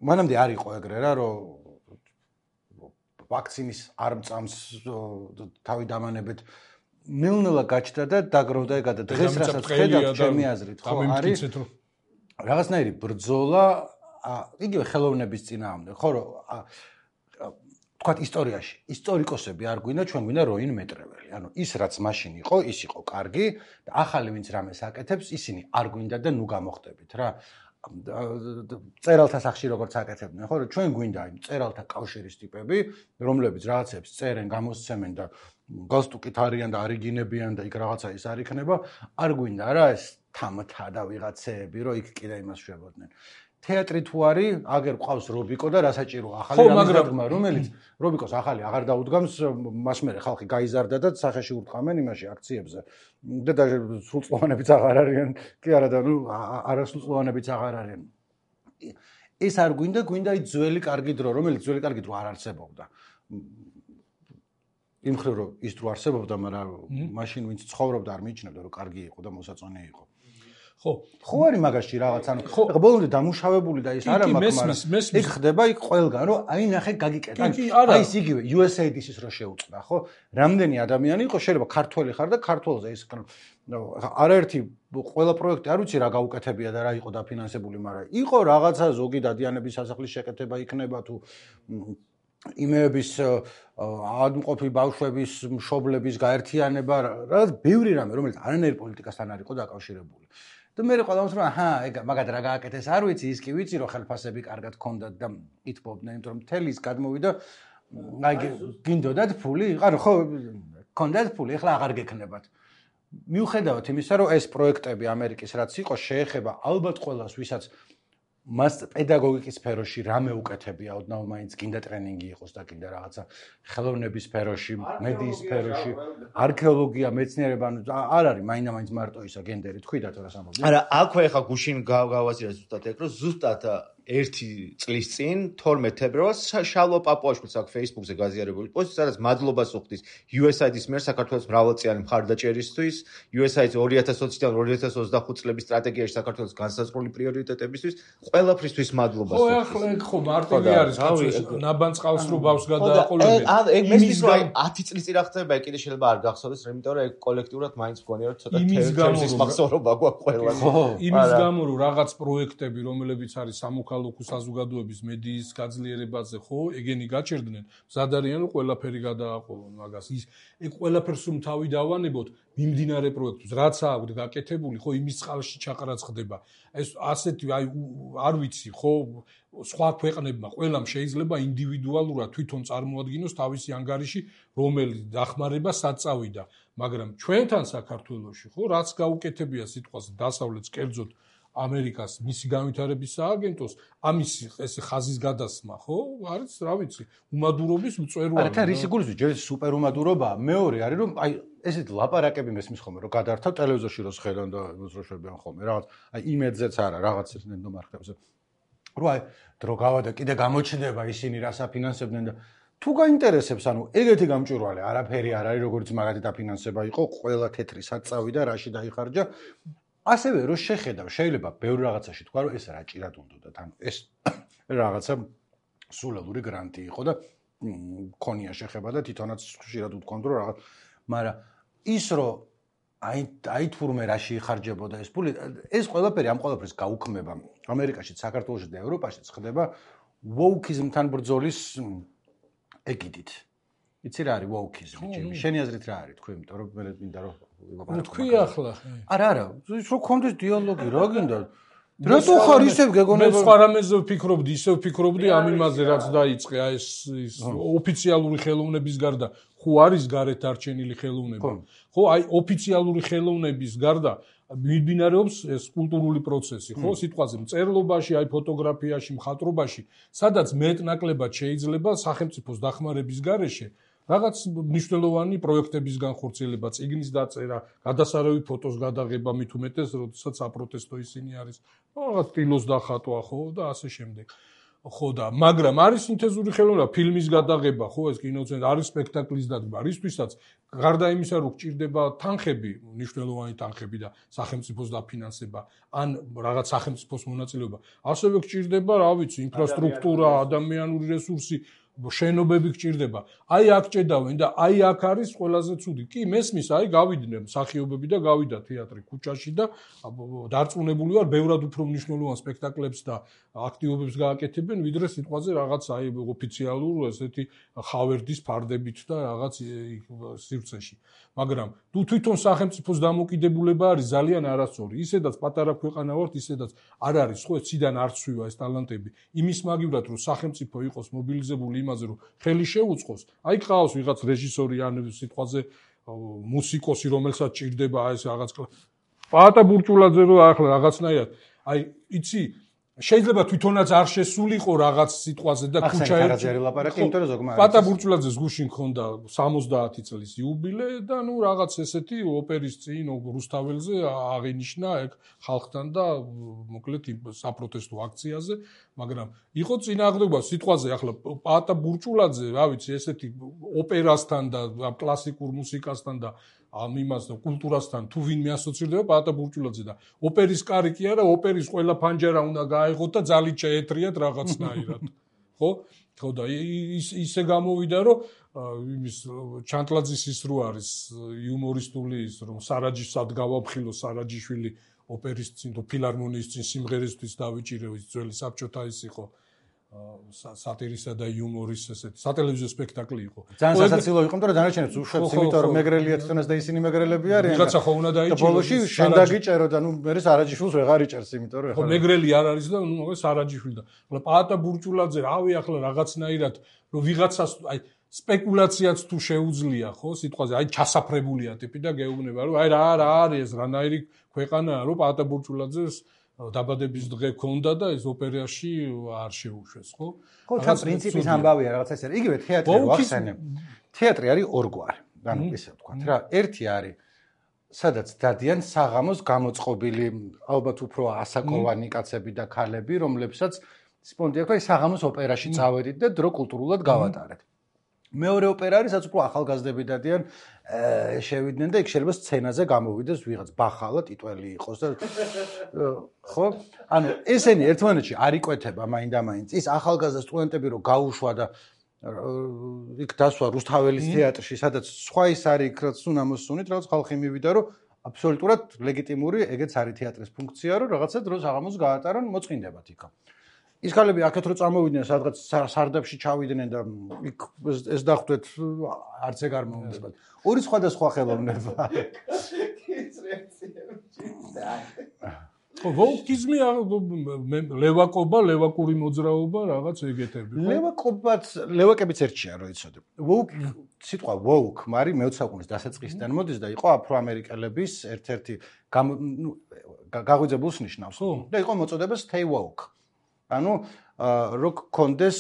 მანამდე არ იყო ეგრე რა, რომ ვაქცინის არ მწამს თავი დამანებით ნელ-ნელა გაჩნდა და დაგროვდა ეგ და დღეს რასაც ხედავთ ჩემი აზრით ხო არის რაღაცნაირი ბრძოლა იგივე ხელოვნების წინააღმდეგ ხო რომ თქვათ ისტორიაში ისტორიკოსები არ გვინდა ჩვენ გვინდა როინ მეტრეველი ანუ ის რაც მაშინ იყო ის იყო კარგი და ახალი ვინც რამეს აკეთებს ისინი არ გვინდა და ნუ გამოხდებით რა წერალთა სახში როგორც აკეთებდნენ ხო რომ ჩვენ გვინდა იმ წერალთა კავშირის ტიპები რომლებიც რაღაცებს წერენ გამოსცემენ და გასტუკით არიან და არიგინებიან და იქ რაღაცა ის არ იქნება არ გვინდა რა ეს თამთა და ვიღაცეები რომ იქ კიდე იმას შვებოდნენ თეატრი თუ არის აგერ ყავს რობიკო და რასაჭირო ახალი რამე რომელიც რობიკოს ახალი აღარ დაუდგამს მას მერე ხალხი გაიზარდა და სახეში ურტყამენ იმაში აქციებზე და და სრულწლოვანებიც აღარ არიან კი არა და ნუ არასრულწლოვანებიც აღარ არიან ეს არ გვინდა გვინდა ის ძველი კარგი დრო რომელიც ძველი კარგი დრო არ არსებობდა იმ ხრივ რომ ის დრო არსებობდა მაგრამ მაშინ ვინც ცხოვრობდა არ მიიჩნევდა რომ კარგი იყო და მოსაწონი იყო ხო ხო არის მაგაში რაღაც ანუ ეხლა ბოლომდე დამუშავებული და ის არა მაგ მაგრამ იქ ხდება იქ ყველგან რომ აი ნახე გაგიკეთა აი ის იგივე იუ ეს ეი დის-ის რო შეუწყდა ხო რამდენი ადამიანი იყო შეიძლება ქართველი ხარ და ქართველზე ის არაერთი ყველა პროექტი არ ვიცი რა გაუკეთებია და რა იყო დაფინანსებული მაგრამ იყო რაღაცა ზოგი დადიანების სასახლის შეკეთება იქნება თუ იმეების ადმყოფი ბავშვების მშობლების გაერთიანება რაღაც ბევრი რამე რომელიც არანაირ პოლიტიკასთან არ იყო დაკავშირებული და მე ყველამს რომ აჰა ეგ მაგად რა გააკეთეს არ ვიცი ის კი ვიცი რომ ხელფასები კარგად ქონდათ და ითბობდნენ იმიტომ რომ მთელი ის გადმოვიდა აი გინდოდათ ფული ანუ ხო ქონდათ ფული ახლა აღარ გექნებათ მიუხედავად იმისა რომ ეს პროექტები ამერიკის რაც იყო შეეხება ალბათ ყველას ვისაც მას პედაგოგიკის სფეროში რამე უკეთებია ოდნავ მაინც გინდა ტრენინგი იყოს და გინდა რაღაცა ხელოვნების სფეროში მედიის სფეროში არქეოლოგია მეცნიერება ანუ არ არის მაინდა-მაინც მარტო ისა გენდერი თქვიდა თუ რას ამბობ არა აქვე ხა გუშინ გავაზირე ზუსტად ეგ რომ ზუსტად ერთი წლის წინ თორმეტ თებერვალს შალვა პაპუაშვილს აქ Facebook-ზე გაზიარებული პოსტი სადაც მადლობას უხდის იუ ეს აი-ის მიერ საქართველოს მრავალწლიანი მხარდაჭერისთვის იუ ეს აი-ის ორი ათას ოცდაათიდან ორი ათას ოცდახუთ წლების სტრატეგიაში საქართველოს განსაზღვრული პრიორიტეტებისთვის ყველაფრისთვის მადლობას ხო ახლა ეგ ხო მარტივი არის კაცო ნაბანს ყავს რო ბავს გადააყოლებენ ეგ მესმის რომ ათი წლის წინ რა ხდება ეგ კიდე შეიძლება არ გახსოვდეს იმიტომ რომ ეგ კოლექტიურად მაინც მგონია რომ ცოტა თემის მახსოვრობა გვაქვს ყველას იმის გამო რომ რაღაც პროექტები რომლებიც არის სამოქალაქო საზოგადოების მედიის გაძლიერებაზე ხო ეგენი გაჩერდნენ მზად არიან რომ ყველაფერი გადააყოლონ მაგას ის ეგ ყველაფერს რომ თავი დავანებოთ მიმდინარე პროექტებს რაც აქვს გაკეთებული ხო იმის წყალში ჩაყრაც ხდება ეს ასეთი აი არ ვიცი ხო სხვა ქვეყნებმა ყველამ შეიძლება ინდივიდუალურად თვითონ წარმოადგინოს თავისი ანგარიში რომელიც დახმარება საწავიდა მაგრამ ჩვენთან საქართველოში ხო რაც გაუკეთებია სიტყვას დასავლეთს კერძოდ ამერიკას მისი განვითარების სააგენტოს ამის ეს ხაზის გადასმა ხო არის რა ვიცი უმადურობის მწვერვალი არა თან რისი გულისხმობს ჯერ სუპერუმადურობაა მეორე არის რომ აი ესეთ ლაპარაკები მესმის ხოლმე რომ გადართავ ტელევიზორში რო ხედავ და მოძროშებიან ხოლმე რაღაც აი იმედზეც არა რაღაც ნენდო მარხებზე რო აი დრო გავადა კიდე გამოჩნდება ისინი რას აფინანსებდნენ და თუ გაინტერესებს ანუ ეგეთი გამჭვირვალე არაფერი არ არის როგორც მაგათი დაფინანსება იყო ყველა თეთრი საწავი და რაში დაიხარჯა ასევე რო შეხედავ შეიძლება ბევრი რაღაცაში თქვა რომ ეს რა ჭირად უნდათ ანუ ეს რაღაცა სულელური გრანტი იყო და მქონია შეხება და თვითონაც ხშირად უთქვამთ რომ რაღაც მაგრამ ის რომ აი აი თურმე რაში იხარჯებოდა ეს ფული ეს ყველაფერი ამ ყველაფრის გაუქმება ამერიკაში საქართველოში და ევროპაში ხდება ვოუკიზმთან ბრძოლის ეგიდით იცი რა არის ვოუკიზმი ჩემი შენი აზრით რა არის თქვი იმიტომ რომ მე მინდა რომ თქვი ახლა არა არა ის რო კონდეს დიალოგი რა გინდა რატო ხარ ისევ გეგონება მე სხვა რამეზე ვფიქრობდი ისევ ვფიქრობდი ამ იმაზე რაც დაიწყე აი ეს ის ოფიციალური ხელოვნების გარდა ხო არის გარეთ არჩენილი ხელოვნება ხო აი ოფიციალური ხელოვნების გარდა მიმდინარეობს ეს კულტურული პროცესი ხო სიტყვაზე მწერლობაში აი ფოტოგრაფიაში მხატვრობაში სადაც მეტნაკლებად შეიძლება სახელმწიფოს დახმარების გარეშე რაღაც მნიშვნელოვანი პროექტების განხორციელება, წიგნის დაწერა, გადასარევი ფოტოს გადაღება, მით უმეტეს, როდესაც აპროტესტო ისინი არის, რაღაც სტილოს დახატვა, ხო და ასე შემდეგ. ხო და მაგრამ არის სინთეზური ხელოვნება, ფილმის გადაღება, ხო ეს კინოცენტრი არის სპექტაკლის დადგმა, რისთვისაც გარდა იმისა, რომ გჭირდება თანხები, მნიშვნელოვანი თანხები და სახელმწიფოს დაფინანსება, ან რაღაც სახელმწიფოს მონაწილეობა, ასევე გჭირდება, რა ვიცი, ინფრასტრუქტურა, ადამიანური რესურსი შენობები გჭირდება. აი აქ ჭედავენ და აი აქ არის ყველაზე ცუდი. კი, მესმის, აი გავიდნენ მსახიობები და გავიდა თეატრი ქუჩაში და დარწმუნებული ვარ, ბევრად უფრო მნიშვნელოვან სპექტაკლებს და აქტივობებს გააკეთებენ, ვიდრე სიტყვაზე რაღაც აი ოფიციალურ ესეთი ხავერდის ფარდებით და რაღაც სივრცეში. მაგრამ თუ თვითონ სახელმწიფოს დამოკიდებულება არის ძალიან არასწორი. ისედაც პატარა ქვეყანა ვართ, ისედაც არ არის ხო ციდან არ ცვივა ეს ტალანტები. იმის მაგივრად რომ სახელმწიფო იყოს მობილიზებული იმაზე რომ ხელი შეუწყოს, აი ყავს ვიღაც რეჟისორი ან სიტყვაზე მუსიკოსი, რომელსაც ჭირდება ეს რაღაც პაატა ბურჭულაძე რო ახლა რაღაცნაირად, აი იცი შეიძლება თვითონაც არ შესულიყო რაღაც სიტყვაზე და ქუჩაერში ლაპარაკი, იმიტომ რომ ზოგმა პაატა ბურჭულაძეს გუშინ ქონდა სამოცდაათი წლის იუბილე და ნუ რაღაც ესეთი ოპერის წინ რუსთაველზე აღინიშნა ეგ ხალხთან და მოკლედ საპროტესტო აქციაზე, მაგრამ იყო წინააღმდეგობა სიტყვაზე ახლა პაატა ბურჭულაძე, რა ვიცი, ესეთი ოპერასთან და კლასიკურ მუსიკასთან და ამ იმას და კულტურასთან თუ ვინმე ასოცირდება პაატა ბურჭულაძე და ოპერის კარი კი არა, ოპერის ყველა ფანჯარა უნდა გაეღოთ და ძალით შეეთრიათ რაღაცნაირად. ხო? ხო და ისე გამოვიდა რომ იმის ჩანტლაძის ის რო არის იუმორისტული ის რომ სარაჯისად გავაფხილო სარაჯიშვილი ოპერის წინ თუ ფილარმონიის წინ სიმღერისთვის დავიჭირე ის ძველი საბჭოთა ის იყო სატირისა და იუმორის ესეთი სატელევიზიო სპექტაკლი იყო. ძალიან სასაცილო იყო, იმიტომ რომ დანარჩენებს უშვებს, იმიტომ რომ მეგრელია თვითონაც და ისინი მეგრელები არიან. ვიღაცა ხო უნდა დაიჭირო. და ბოლოში შენ დაგიჭერო და ნუ მე სარაჯიშვილს ვეღარ იჭერს, იმიტომ რომ ხო მეგრელი არ არის და ნუ მაგას სარაჯიშვილი და. ახლა პაატა ბურჭულაძე, რავი ახლა რაღაცნაირად რომ ვიღაცას აი სპეკულაციაც თუ შეუძლია, ხო, სიტყვაზე, აი ჩასაფრებულია ტიპი და გეუბნება რომ აი რა რა არის ეს რანაირი ქვეყანაა, რომ პაატა ბურჭულაძეს დაბადების დღე ქონდა და ეს ოპერაში არ შეუშვეს, ხო? ხო, თან პრინციპის ამბავია რაღაც ეს არის. იგივე თეატრი ვახსენებ. თეატრი არის ორგვარი. ანუ ესე ვთქვათ რა, ერთი არის სადაც დადიან საღამოს გამოწყობილი, ალბათ უფრო ასაკოვანი კაცები და ქალები, რომლებსაც სპონდი აქვს, აი საღამოს ოპერაში წავედით და დრო კულტურულად გავატარეთ. მეორე ოპერა არის, სადაც უფრო ახალგაზრდები დადიან, შევიდნენ და იქ შეიძლება სცენაზე გამოვიდეს ვიღაც ბახალა ტიტველი იყოს და ხო? ანუ ესენი ერთმანეთში არ იკვეთება მაინდა-მაინც. ის ახალგაზრდა სტუდენტები რო გაუშვა და იქ დასვა რუსთაველის თეატრში, სადაც სხვა ის არის, რაც უნდა მოსუნით, რაღაც ხალხი მივიდა, რომ აბსოლუტურად ლეგიტიმური ეგეც არის თეატრის ფუნქცია, რომ რაღაცა დროს აღამოს გაატარონ, მოწყინდებათ იქ. ის ქალები აქეთ რო წამოვიდნენ, სადღაც სარდაფში ჩავიდნენ და იქ ეს დახვდეთ არც ეგ არ მოუნდებათ. ორი სხვადასხვა ხელოვნება. ხო, ვოუკიზმი ლევაკობა, ლევაკური მოძრაობა, რაღაც ეგეთები. ლევაკობაც, ლევაკებიც ერთია, რო იცოდე. ვოუკ სიტყვა ვოუკ, მარი მეოცე საუკუნის დასაწყისიდან მოდის და იყო აფროამერიკელების ერთ-ერთი გაღვიძებულს ნიშნავს. და იყო მოწოდება stay woke. ანუ რო კონდეს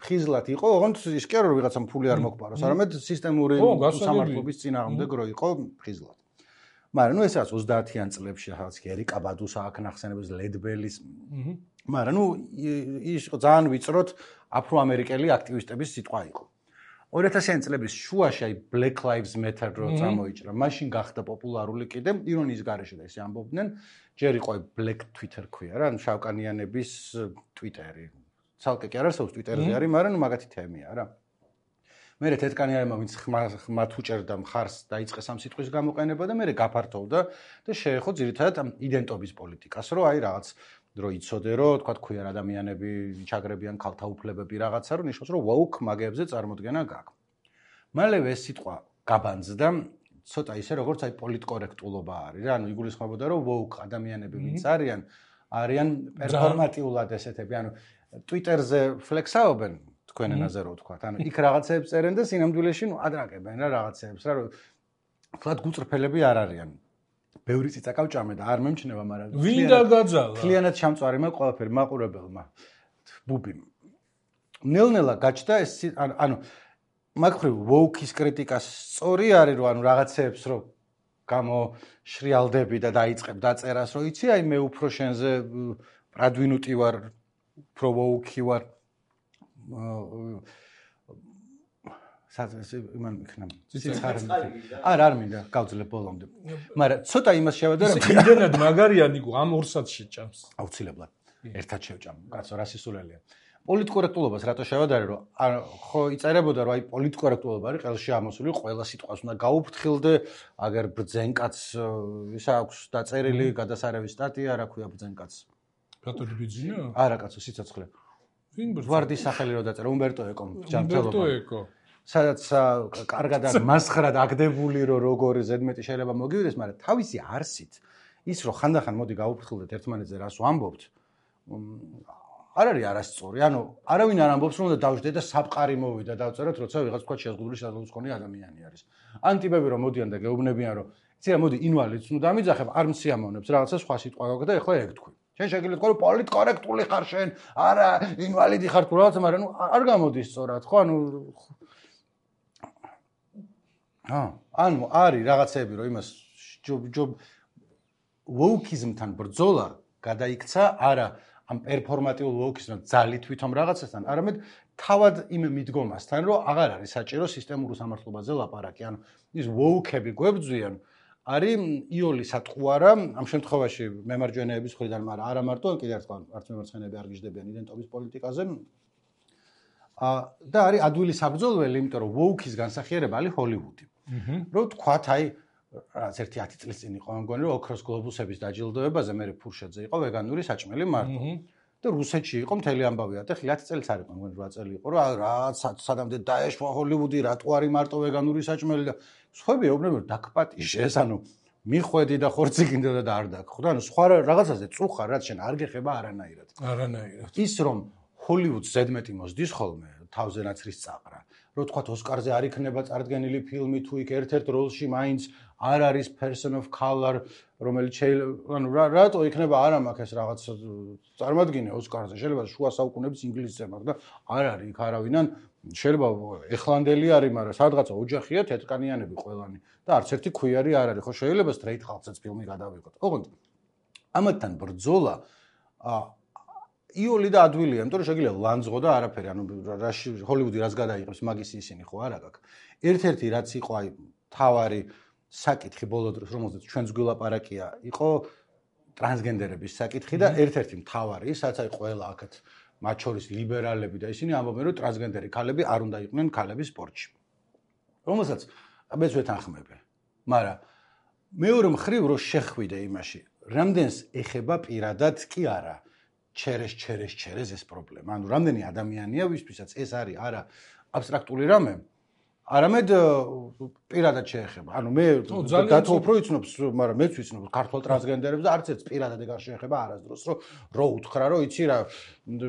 ხიზლად იყო, ოღონდ ის კი არა რომ ვიღაცამ ფული არ მოგპაროს, არამედ სისტემური სამართლობის წინააღმდეგ რო იყო ხიზლად. მაგრამ ნუ ეს არის ოცდაათიან წლებში რაღაც ერიკა ბადუს აქ ნახსენების ლედბელის. მაგრამ ნუ ის იყო ძალიან ვიწროდ აფროამერიკელი აქტივისტების სიტყვა იყო. ორი ათასიანი წლების შუაში აი Black Lives Matter რო წამოიჭრა, მაშინ გახდა პოპულარული კიდე ირონიის გარეშე და ისე ამბობდნენ, ჯერ იყო Black Twitter ქვია რა, ანუ შავკანიანების Twitter-ი. ცალკე კი არა, საერთოდ Twitter-ზე არის, მაგრამ ნუ მაგათი თემია რა. მერე თეთრკანიანებმა ვინც ხმათ უჭერდა მხარს დაიწყეს ამ სიტყვის გამოყენება და მერე გაფართოვდა და შეეხო ძირითადად ამ იდენტობის პოლიტიკას, რომ აი რაღაც დრო იცოდე, რომ თქვა ქვიარ ადამიანები ჩაგრებიან ქალთა უფლებები რაღაცა, რომ ნიშნავს, რომ woke მაგებზე წარმოდგენა გაქვს. მალევე ეს სიტყვა გაბანძდა ცოტა ისე როგორც აი პოლიტკორექტულობა არის რა, ანუ იგულისხმებოდა, რომ woke ადამიანები ვინც არიან, არიან პერფორმატიულად ესეთები, ანუ Twitter-ზე ფლექსაობენ თქვენ ენაზე რო ვთქვათ, ანუ იქ რაღაცებს წერენ და სინამდვილეში ნუ ადრაკებენ რა რაღაცებს რა, რომ თქვათ გუწრფელები არ არიან. ბევრი წიწაკავჭამე და არ მემჩნევა, მაგრამ ვინ დაგაძალა? მთლიანად ჩამწვარი მაგ ყველაფერი მაყურებელმა ბუბიმ. ნელ-ნელა გაჩნდა ეს ანუ მაგხრივ woke-ის კრიტიკას სწორი არის, რომ ანუ რაღაცებს რო გამოშრიალდები და დაიწყებ დაწერას, რომ იცი, აი მე უფრო შენზე პრადვინუტი ვარ, უფრო woke-ი ვარ. სადაც იმან იქნა ციცარი არ არ მინდა გავძლებ ბოლომდე მაგრამ ცოტა იმას შევადარ რომ იმდენად მაგარიანი გო ამ ორსაც შეჭამს აუცილებლად ერთად შევჭამ კაცო რა სისულელია პოლიტკორექტულობას რატო შევადარე რომ ხო იწერებოდა რომ აი პოლიტკორექტულობა არის ყელში ამოსული ყველა სიტყვას უნდა გაუფრთხილდე აგერ ბრძენკაც ისა აქვს დაწერილი გადასარევი სტატია რა ქვია ბრძენკაც რატო ბიძინა არა კაცო სიცოცხლე ვინ ვარდის სახელი რო დაწერა უმბერტო ეკო ჯანმრთელობა უმბერტო ეკო სადაც კარგად მასხრად აგდებული რომ როგორი ზედმეტი შეიძლება მოგივიდეს, მაგრამ თავისი არსით ის რომ ხანდახან მოდი გაუფრთხილდეთ ერთმანეთზე რას ვამბობთ, არ არის არასწორი. ანუ არავინ არ ამბობს რომ უნდა დავждდეთ და საფყარი მოვიდა დავწეროთ, როცა ვიღაც თქვა შეზღუდული საზოგადოების მქონე ადამიანი არის. ან ტიპები რომ მოდიან და გეუბნებიან რომ იცი რა მოდი ინვალიდს ნუ დამიძახებ, არ მსიამოვნებს რაღაცა სხვა სიტყვა გაქვს და ეხლა ეგ თქვი. შენ შეგიძლია თქვა რომ პოლიტკორექტული ხარ შენ, არა ინვალიდი ხარ თუ რაღაცა, მაგრამ ნუ არ გამოდის სწორად, ხო? ანუ ანუ არის რაღაცები რომ იმას ჯობ woke-იზმთან ბრძოლა გადაიქცა არა ამ პერფორმატიულ woke-იზმთან ძალით თვითონ რაღაცასთან, არამედ თავად იმ მიდგომასთან, რომ აღარ არის საჭირო სისტემურ სამართლობაზე ლაპარაკი. ანუ ის woke-ები გვებძვიან არის იული სატყუარა ამ შემთხვევაში მემარჯვენეების მხრიდან, მაგრამ არა მარტო, კიდევ ერთხელ არც მემარცხენეები არ გიждდებიან იდენტობის პოლიტიკაზე. და არის ადვილი საბრძოლველი, იმიტომ რომ woke-ის განსახიერება არის ჰოლივუდი. რო თქვათ აი რაც ერთი ათი წლის წინ იყო ამგონი რომ ოქროს გლობუსების დაჯილდოებაზე მე ფურშეძე იყო ვეგანური საჭმელი მარტო და რუსეთში იყო მთელი ამბავი და ხი ათი წელიც არ იყო ამგონი რვა წელი იყო რა რა სადამდე დაეშვა ჰოლივუდი რატო არის მარტო ვეგანური საჭმელი და სხვები ეუბნებიან რომ დაკპატიშეს ანუ მიხვედი და ხორცი გინდოდა და არ დაგხვდა ანუ სხვა რაღაცაზე წუხარ რაც შენ არ გეხება არანაირად არანაირად ის რომ ჰოლივუდს ზედმეტი მოსდის ხოლმე თავზე ნაცრის წაყრა რო თქვათ ოსკარზე არ იქნება წარდგენილი ფილმი თუ იქ ერთ-ერთ როლში მაინც არ არის person of color რომელიც ანუ რატო იქნება არა მაქვს ეს რაღაც წარმოადგინე ოსკარზე შეიძლება შუა საუკუნეების ინგლისზე მაქვს და არ არის იქ არავინან შეიძლება ეხლანდელი არის მაგრამ სადღაცა ოჯახია თეთრკანიანები ყველანი და არც ერთი ქვიარი არ არის ხო შეიძლება straight ხალხსაც ფილმი გადავიღოთ ოღონდ ამათთან ბრძოლა იული და ადვილია, იმიტომ რომ შეგიძლია ლანძღო და არაფერი, ანუ რაში ჰოლივუდი რას გადაიღებს, მაგის ისინი ხო არა გაქვს. ერთ-ერთი რაც იყო აი თავარი საკითხი ბოლო დროს, რომელზეც ჩვენც გვილაპარაკია, იყო ტრანსგენდერების საკითხი და ერთ-ერთი მთავარი, სადაც აი ყველა აქეთ მათ შორის ლიბერალები და ისინი ამბობენ, რომ ტრანსგენდერი ქალები არ უნდა იყვნენ ქალების სპორტში. რომელსაც მეც ვეთანხმები. მაგრამ მეორე მხრივ რო შეხვიდე იმაში, რამდენს ეხება პირადად კი არა ჩერეს ჩერეს ჩერეს ეს პრობლემა. ანუ რამდენი ადამიანია, ვისთვისაც ეს არის არა აბსტრაქტული რამე, არამედ პირადად შეეხება. ანუ მე დათო უფრო იცნობს, მაგრამ მეც ვიცნობ ქართულ ტრანსგენდერებს და არც ერთ პირადად ეგარ შეეხება არასდროს, რომ რო უთხრა, რომ იცი რა,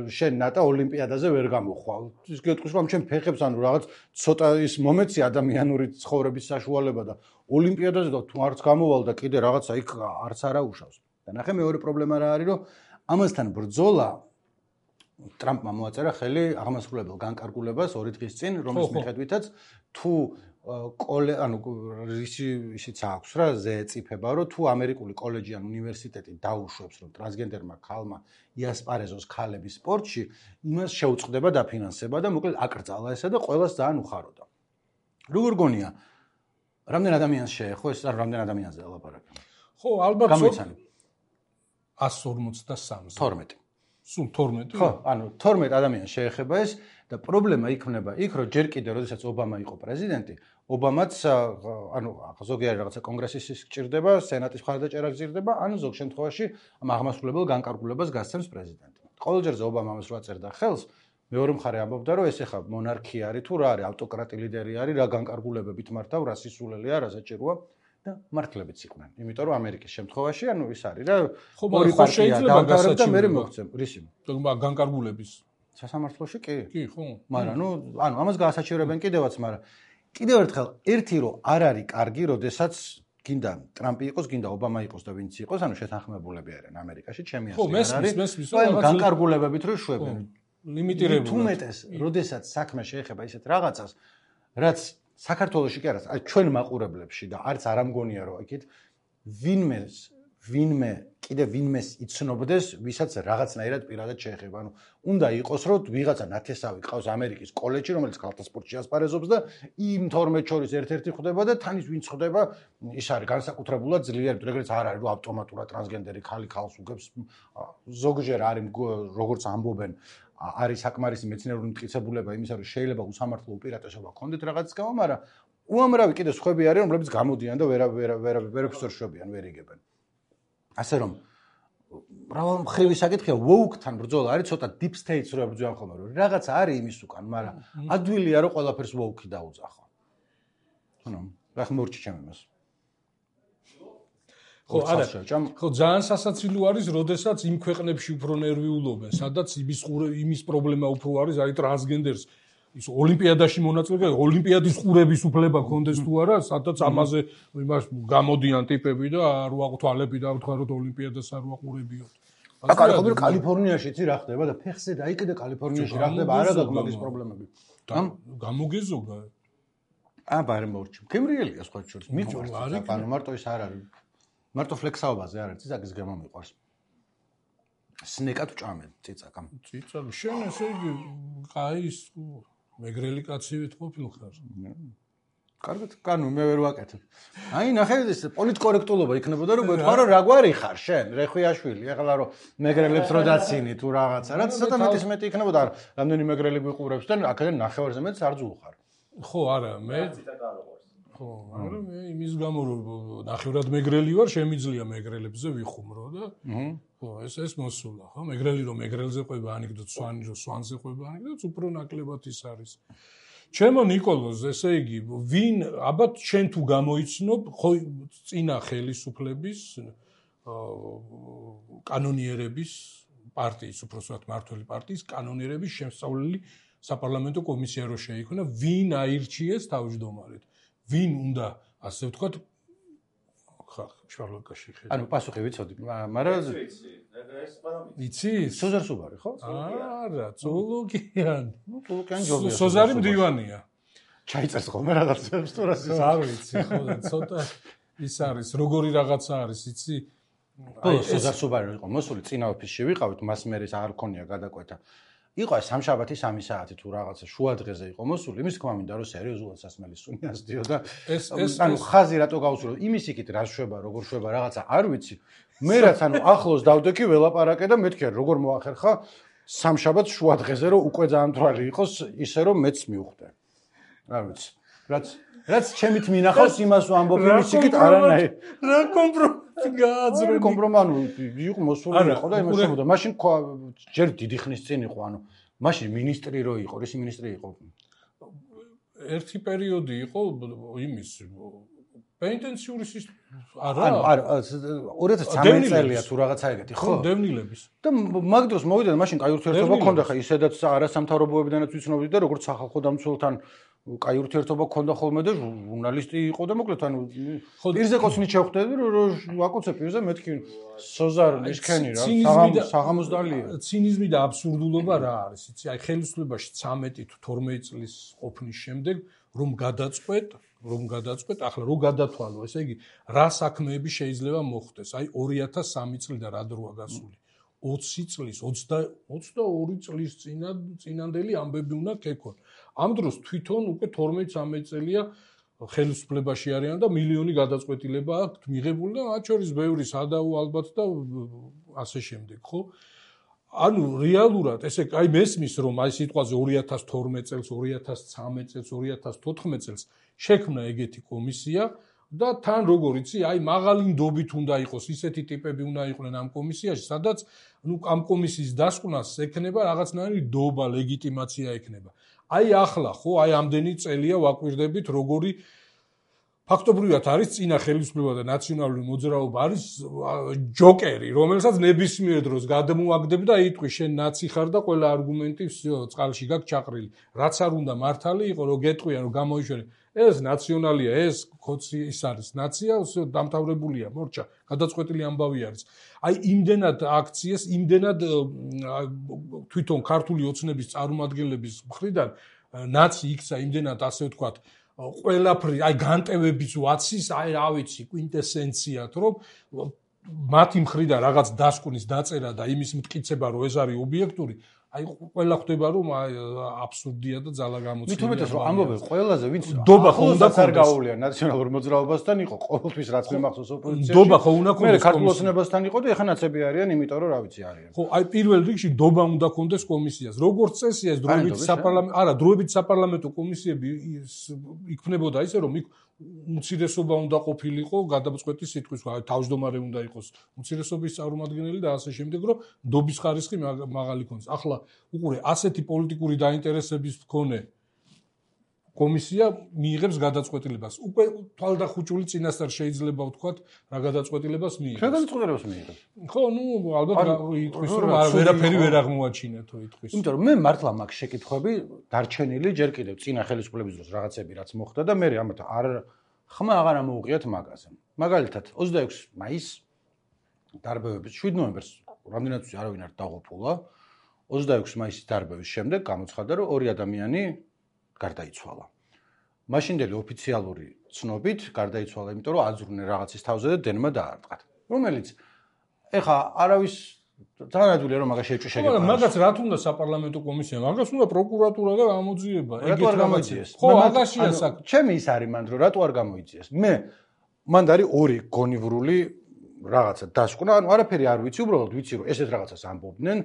შენ ნატა ოლიმპიადაზე ვერ გამოხვალ. ის გეტყვის, რომ ჩემ ფეხებს ანუ რაღაც ცოტა ის მომეცი ადამიანური ცხოვრების საშუალება და ოლიმპიადაზე და თუ არც გამოვალ და კიდე რაღაცა იქ არც არა უშავს. და ნახე მეორე პრობლემა რა არის, რომ ამასთან ბრძოლა ტრამპმა მოაწერა ხელი აღმასრულებელ განკარგულებას ორი დღის წინ, რომლის მიხედვითაც თუ კოლე ანუ ისი ისიც აქვს რა ზეწიფება, რომ თუ ამერიკული კოლეჯი ან უნივერსიტეტი დაუშვებს, რომ ტრანსგენდერმა ქალმა იასპარეზოს ქალების სპორტში, იმას შეუწყდება დაფინანსება და მოკლედ აკრძალა ესა და ყველას ძალიან უხაროდა. როგორ გონია? რამდენ ადამიანს შეეხო ეს არ რამდენ ადამიანზე ელაპარაკე? ხო, ალბათ გამოიცანე. εκατს ორმოცდასამზე. თორმეტი. სულ თორმეტი? ხო, ანუ თორმეტი ადამიანს შეეხება ეს და პრობლემა იქნება იქ, რომ ჯერ კიდე, როდესაც ობამა იყო პრეზიდენტი, ობამაც ანუ ზოგიერთი რაღაცა კონგრესის სჭირდება, სენატის მხარდაჭერა გზირდება, ან ზოგ შემთხვევაში ამ აღმასრულებელ განკარგულებას გასცემს პრეზიდენტი. ყოველჯერზე ობამა ამას რა წერდა ხელს, მეორე მხარე ამბობდა, რომ ეს ეხა მონარქია არის თუ რა არის, ავტოკრატი ლიდერი არის, რა განკარგულებებით მართავ, რა სისულელია, რა საჭიროა და მართლებიც იყვნენ. იმიტომ რომ ამერიკის შემთხვევაში, ანუ ის არის რა, ორი პარტია დაამთავრებს და მე მოგცემ. რისი? განკარგულების სასამართლოში კი? კი, ხო. მაგრამ ნუ ანუ ამას გაასაჩივრებენ კიდევაც, მაგრამ კიდევ ერთხელ ერთი რომ არ არის კარგი, როდესაც გინდა ტრამპი იყოს, გინდა ობამა იყოს და ვინც იყოს, ანუ შეთანხმებულები არიან ამერიკაში, ჩემი აზრით. ხო, მესმის, მესმის, რაღაც განკარგულებებით რო შვებენ. ლიმიტირებული. თუმეტეს, როდესაც საქმე შეეხება ისეთ რაღაცას, რაც საქართველოში კი არა, აი ჩვენ მაყურებლებში და არც არ ამგონია რომ იქით ვინმეს ვინმე კიდე ვინმეს იცნობდეს, ვისაც რაღაცნაირად პირადად შეეხება. ანუ უნდა იყოს რომ ვიღაცა ნათესავი ყავს ამერიკის კოლეჯში, რომელიც ქალთა სპორტში ასპარეზობს და იმ თორმეტ შორის ერთ-ერთი ხვდება და თან ის ვინც ხვდება, ის არის განსაკუთრებულად ძლიერი, ეგრეც არ არის რომ ავტომატურად ტრანსგენდერი ხალი ხალს უგებს. ზოგჯერ არის როგორც ამბობენ არის საკმარისი მეცნიერული მტკიცებულება იმისა, რომ შეიძლება უსამართლო უპირატესობა ქონდეთ რაღაც გამო, მაგრამ უამრავი კიდე სხვები არიან, რომლებიც გამოდიან და ვერ ვერ ვერ ვერაფერს ვერ შვებიან, ვერ იგებენ. ასე რომ მრავალ მხრივი საკითხია, woke-თან ბრძოლა არის ცოტა deep state-ს რო ებრძვიან ხოლმე, რომ რაღაცა არის იმის უკან, მაგრამ ადვილია რომ ყველაფერს woke-ი დაუძახო. ანუ რა ხმორჩი ჩემ იმას. ხო, არა, ხო, ძალიან სასაცილო არის, როდესაც იმ ქვეყნებში უფრო ნერვიულობენ, სადაც იმის იმის პრობლემა უფრო არის, აი ტრანსგენდერს ის ოლიმპიადაში მონაწილეობა, ოლიმპიადის ყურების უფლება ქონდეს თუ არა, სადაც ამაზე იმას გამოდიან ტიპები და არ ვაყთვალები და ვთქვაროთ ოლიმპიადას არ ვაყურებიოთ. აკალიფორნიაში კალიფორნიაში იცი რა ხდება და ფეხზე დაიკიდე კალიფორნიაში რა ხდება, არა გაქვს მაგის პრობლემები. გამოგეზოგა. აა, ბარე მორჩი. გემრიელია სხვა შორის. მიყვარს, ანუ მარტო ის არ არის. მარტო ფლექსაობაზე არ არის, ციცაკის გემო მიყვარს. სნეკად ვჭამე ციცაკამ. ციცა, შენ ესე იგი ყაი ის მეგრელი კაცი ვიტყობილ ხარ. კარგად, კანო მე ვერ ვაკეთებ. აი, ნახე ეს პოლიტკორექტულობა იქნებოდა რომ გეტყვა რომ რა გვარი ხარ შენ, რეხვიაშვილი, ეხლა რომ მეგრელებს რო დაცინი თუ რაღაცა, რაც ცოტა მეტის მეტი იქნებოდა, რამდენი მეგრელი გვიყურებს და აქედან ნახევარზე მეტს არ ძულხარ. ხო, არა, მე ხო, მაგრამ მე იმის გამო რომ ნახევრად მეგრელი ვარ, შემიძლია მეგრელებზე ვიხუმრო და ხო, ეს ეს მოსულა, ხო, მეგრელი რომ მეგრელზე ყვება ანეკდოტ, სვანი რომ სვანზე ყვება ანეკდოტ, უფრო ნაკლებად ის არის. ჩემო ნიკოლოზ, ესე იგი, ვინ აბათ შენ თუ გამოიცნობ, ხო, წინა ხელისუფლების კანონიერების პარტიის, უბრალოდ მართველი პარტიის კანონიერების შემსწავლელი საპარლამენტო კომისია რო შეიქმნა, ვინ აირჩიეს თავმჯდომარედ? ვინ უნდა ასე ვთქვათ ხა შარლოკაში ხედა. ანუ პასუხი ვიცოდი, მაგრამ იცი? სოზარ სუბარი, ხო? არა, ზოლოგიან. ნუ ზოლოგიან ჯობია. სოზარი მდივანია. ჩაიწერს ხოლმე რაღაცებს თუ რას არ ვიცი, ხო და ცოტა ის არის, როგორი რაღაცა არის, იცი? აი, სოზარ სუბარი იყო მოსული, წინა ოფისში ვიყავით, მას მერეს არ ქონია გადაკვეთა. იყო სამშაბათი სამი საათი თუ რაღაცა შუა დღეზე იყო მოსული, იმის თქმა მინდა რომ სერიოზულად სასმელი სუნი ასდიო და ანუ ხაზი რატო გავუსურო, იმის იქით რა შვება, როგორ შვება რაღაცა არ ვიცი. მე რაც ანუ ახლოს დავდექი ველაპარაკე და მეთქე როგორ მოახერხა სამშაბათს შუა დღეზე რომ უკვე ძალიან თვალი იყოს ისე რომ მეც მივხვდე. არ ვიცი. რაც რაც ჩემით მინახავს იმას ვამბობ იმის იქით არანაირი. რა კომპრომატი გააძრო. კომპრომანუ იყო მოსული იყო და იმას შემოდა. მაშინ ჯერ დიდი ხნის წინ იყო, ანუ მაშინ მინისტრი რო იყო, რისი მინისტრი იყო? ერთი პერიოდი იყო იმის პენიტენციური სისტემა არა ანუ არა ორი ათას ცხრამეტი წელია თუ რაღაცა ეგეთი ხო დევნილების და მაგ დროს მოვიდა და მაშინ კაი ურთიერთობა ქონდა ხა ისედაც არასამთავრობოებიდანაც ვიცნობდი და როგორც სახალხო დამცველთან კაი ურთიერთობა ქონდა ხოლმე და ჟურნალისტი იყო და მოკლედ ანუ პირზე ყოცნით შევხვდები რომ ვაკოცე პირზე მეთქი სოზარ ისქენი რა საღამოსდალია ცინიზმი და აბსურდულობა რა არის იცი აი ხელისუფლებაში ცამეტი თუ თორმეტი წლის ყოფნის შემდეგ რომ გადაწყვეტ რომ გადაწყვეტ ახლა რო გადათვალო ესე იგი რა საქმეები შეიძლება მოხდეს აი ორი ათას სამი წლიდან რა დროა გასული ოცი წლის ოცდაორი წლის წინა წინანდელი ამბები უნდა ქეკონ ამ დროს თვითონ უკვე თორმეტი ცამეტი წელია ხელისუფლებაში არიან და მილიონი გადაწყვეტილება აქვთ მიღებული და მათ შორის ბევრი სადაო ალბათ და ასე შემდეგ ხო ანუ რეალურად ესე აი მესმის რომ აი სიტყვაზე ორი ათას თორმეტი წელს ორი ათას ცამეტი წელს ორი ათას თოთხმეტი წელს შექმნა ეგეთი კომისია და თან როგორ იცი აი მაღალი ნდობით უნდა იყოს ისეთი ტიპები უნდა იყვნენ ამ კომისიაში სადაც ნუ ამ კომისიის დასკვნას ექნება რაღაცნაირი დობა ლეგიტიმაცია ექნება აი ახლა ხო აი ამდენი წელია ვაკვირდებით როგორი ფაქტობრივად არის წინა ხელისუფლება და ნაციონალური მოძრაობა არის ჯოკერი რომელსაც ნებისმიერ დროს გადმოაგდებ და იტყვი შენ ნაცი ხარ და ყველა არგუმენტი წყალში გაქვს ჩაყრილი რაც არ უნდა მართალი იყო რომ გეტყვიან რომ გამოიშვერე ეს ნაციონალია ეს კოცი ის არის ნაცია დამთავრებულია მორჩა გადაწყვეტილი ამბავი არის აი იმდენად აქციეს იმდენად თვითონ ქართული ოცნების წარმომადგენლების მხრიდან ნაცი იქცა იმდენად ასე ვთქვათ ყველაფერი აი განტევების ვაცის აი რა ვიცი კვინტესენციად რომ მათი მხრიდან რაღაც დასკვნის დაწერა და იმის მტკიცება რომ ეს არის ობიექტური აი ყველა ხვდება რომ აბსურდია და ძალა გამოცემია მით უმეტეს რომ ამბობენ ყველაზე ვინც დობა ხო უნდა არ გაუვლია ნაციონალურ მოძრაობასთან იყო ყოველთვის რაც მემახსოვს ოპოზიციაში დობა ხო უნდა კონდეს მე ქართულ ოცნებასთან იყო და ეხა ნაცები არიან იმიტომ რომ რა ვიცი არიან ხო აი პირველ რიგში დობა უნდა კონდეს კომისიას როგორც წესია ეს დროებითი საპარლამენტო არა დროებითი საპარლამენტო კომისიები იქმნებოდა ისე რომ იქ უმცირესობა უნდა ყოფილიყო გადაწყვეტი სიტყვის თავმჯდომარე უნდა იყოს უმცირესობის წარმომადგენელი და ასე შემდეგ რომ დობის ხარისხი მაღალი ქონდეს ახლა უყურე ასეთი პოლიტიკური დაინტერესების მქონე კომისია მიიღებს გადაწყვეტილებას უკვე თვალდახუჭული წინასწარ შეიძლება ვთქვათ რა გადაწყვეტილებას მიიღებს რა გადაწყვეტილებას მიიღებს ხო ნუ ალბათ იტყვის რომ ვერაფერი ვერ აღმოაჩინეთო იტყვის იმიტომ რომ მე მართლა მაქვს შეკითხვები დარჩენილი ჯერ კიდევ წინა ხელისუფლების დროს რაღაცები რაც მოხდა და მე ამათ არ ხმა აღარ ამოუღიათ მაგაზე მაგალითად ოცდაექვსი მაისს დარბევების შვიდ ნოემბერს რამდენად ვიცი არავინ არ დაღუპულა ოცდაექვსი მაისის დარბევის შემდეგ გამოცხადდა რომ ორი ადამიანი გარდაიცვალა. მაშინდელი ოფიციალური ცნობით გარდაიცვალა, იმიტომ რომ აძვრნენ რაღაცის თავზე და დენმა დაარტყათ. რომელიც ეხა არავის თანადული რომ მაგას შეჭი შეგება. მაგრამ მაგას რა თუნდა საპარლამენტო კომისია, მაგას უნდა პროკურატურა და გამოძიება. რატო არ გამოიძიეს? ხო, მაგაშია საქმე. ჩემი ის არის მანდ რომ რატო არ გამოიძიეს? მე მანდ არის ორი გონივრული რაღაცა დასკვნა, ანუ არაფერი არ ვიცი, უბრალოდ ვიცი რომ ესეთ რაღაცას ამბობდნენ,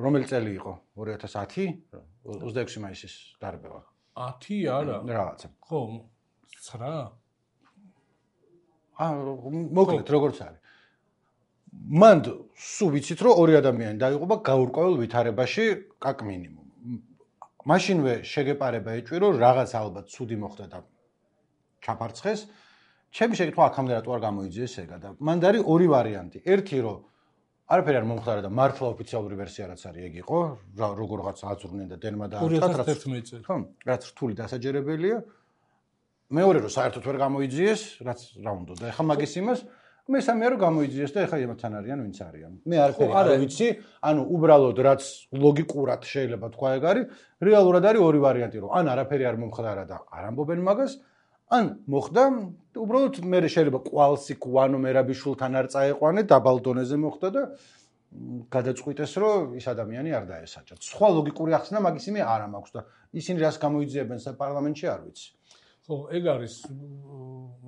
რომელი წელი იყო? ორი ათას ათი, ოცდაექვსი მაისის დარბევა. ათი არა. რაღაცა. ხო, ცხრა. აა, მოკლედ როგორც არის. მანდ სულ ვიცით რომ ორი ადამიანი დაიღუპა გაურკვეველ ვითარებაში კაკ მინიმუმ. მაშინვე შეგეპარება ეჭვი რომ რაღაც ალბათ ცუდი მოხდა და ჩაფარცხეს. ჩემი შეკითხვა აქამდე რატო არ გამოიძიეს ეგა და მანდ არის ორი ვარიანტი. ერთი რომ არაფერი არ მომხდარა და მართლა ოფიციალური ვერსია რაც არის ეგ იყო, როგორღაც აძვრნენ და დენმა დაარტყათ, რაც ხო, რაც რთული დასაჯერებელია. მეორე რომ საერთოდ ვერ გამოიძიეს, რაც რა უნდა და ეხა მაგის იმას მესამე რომ გამოიძიეს და ეხა იმათთან არიან ვინც არიან. მე არაფერი არ ვიცი, ანუ უბრალოდ რაც ლოგიკურად შეიძლება თქვა ეგ არის, რეალურად არის ორი ვარიანტი რომ ან არაფერი არ მომხდარა და არ ამბობენ მაგას, ან მოხდა, უბრალოდ მე შეიძლება კვალსი κουანო მერაბიშვილთან არ წაეყვანე, დაბალ დონეზე მოხდა და გადაწყვიტეს რომ ის ადამიანი არ დაესაჯათ. სხვა ლოგიკური ახსნა მაგის იმე არ მაქვს და ისინი რას გამოიძიებენ საპარლამენტში არ ვიცი. ხო, ეგ არის,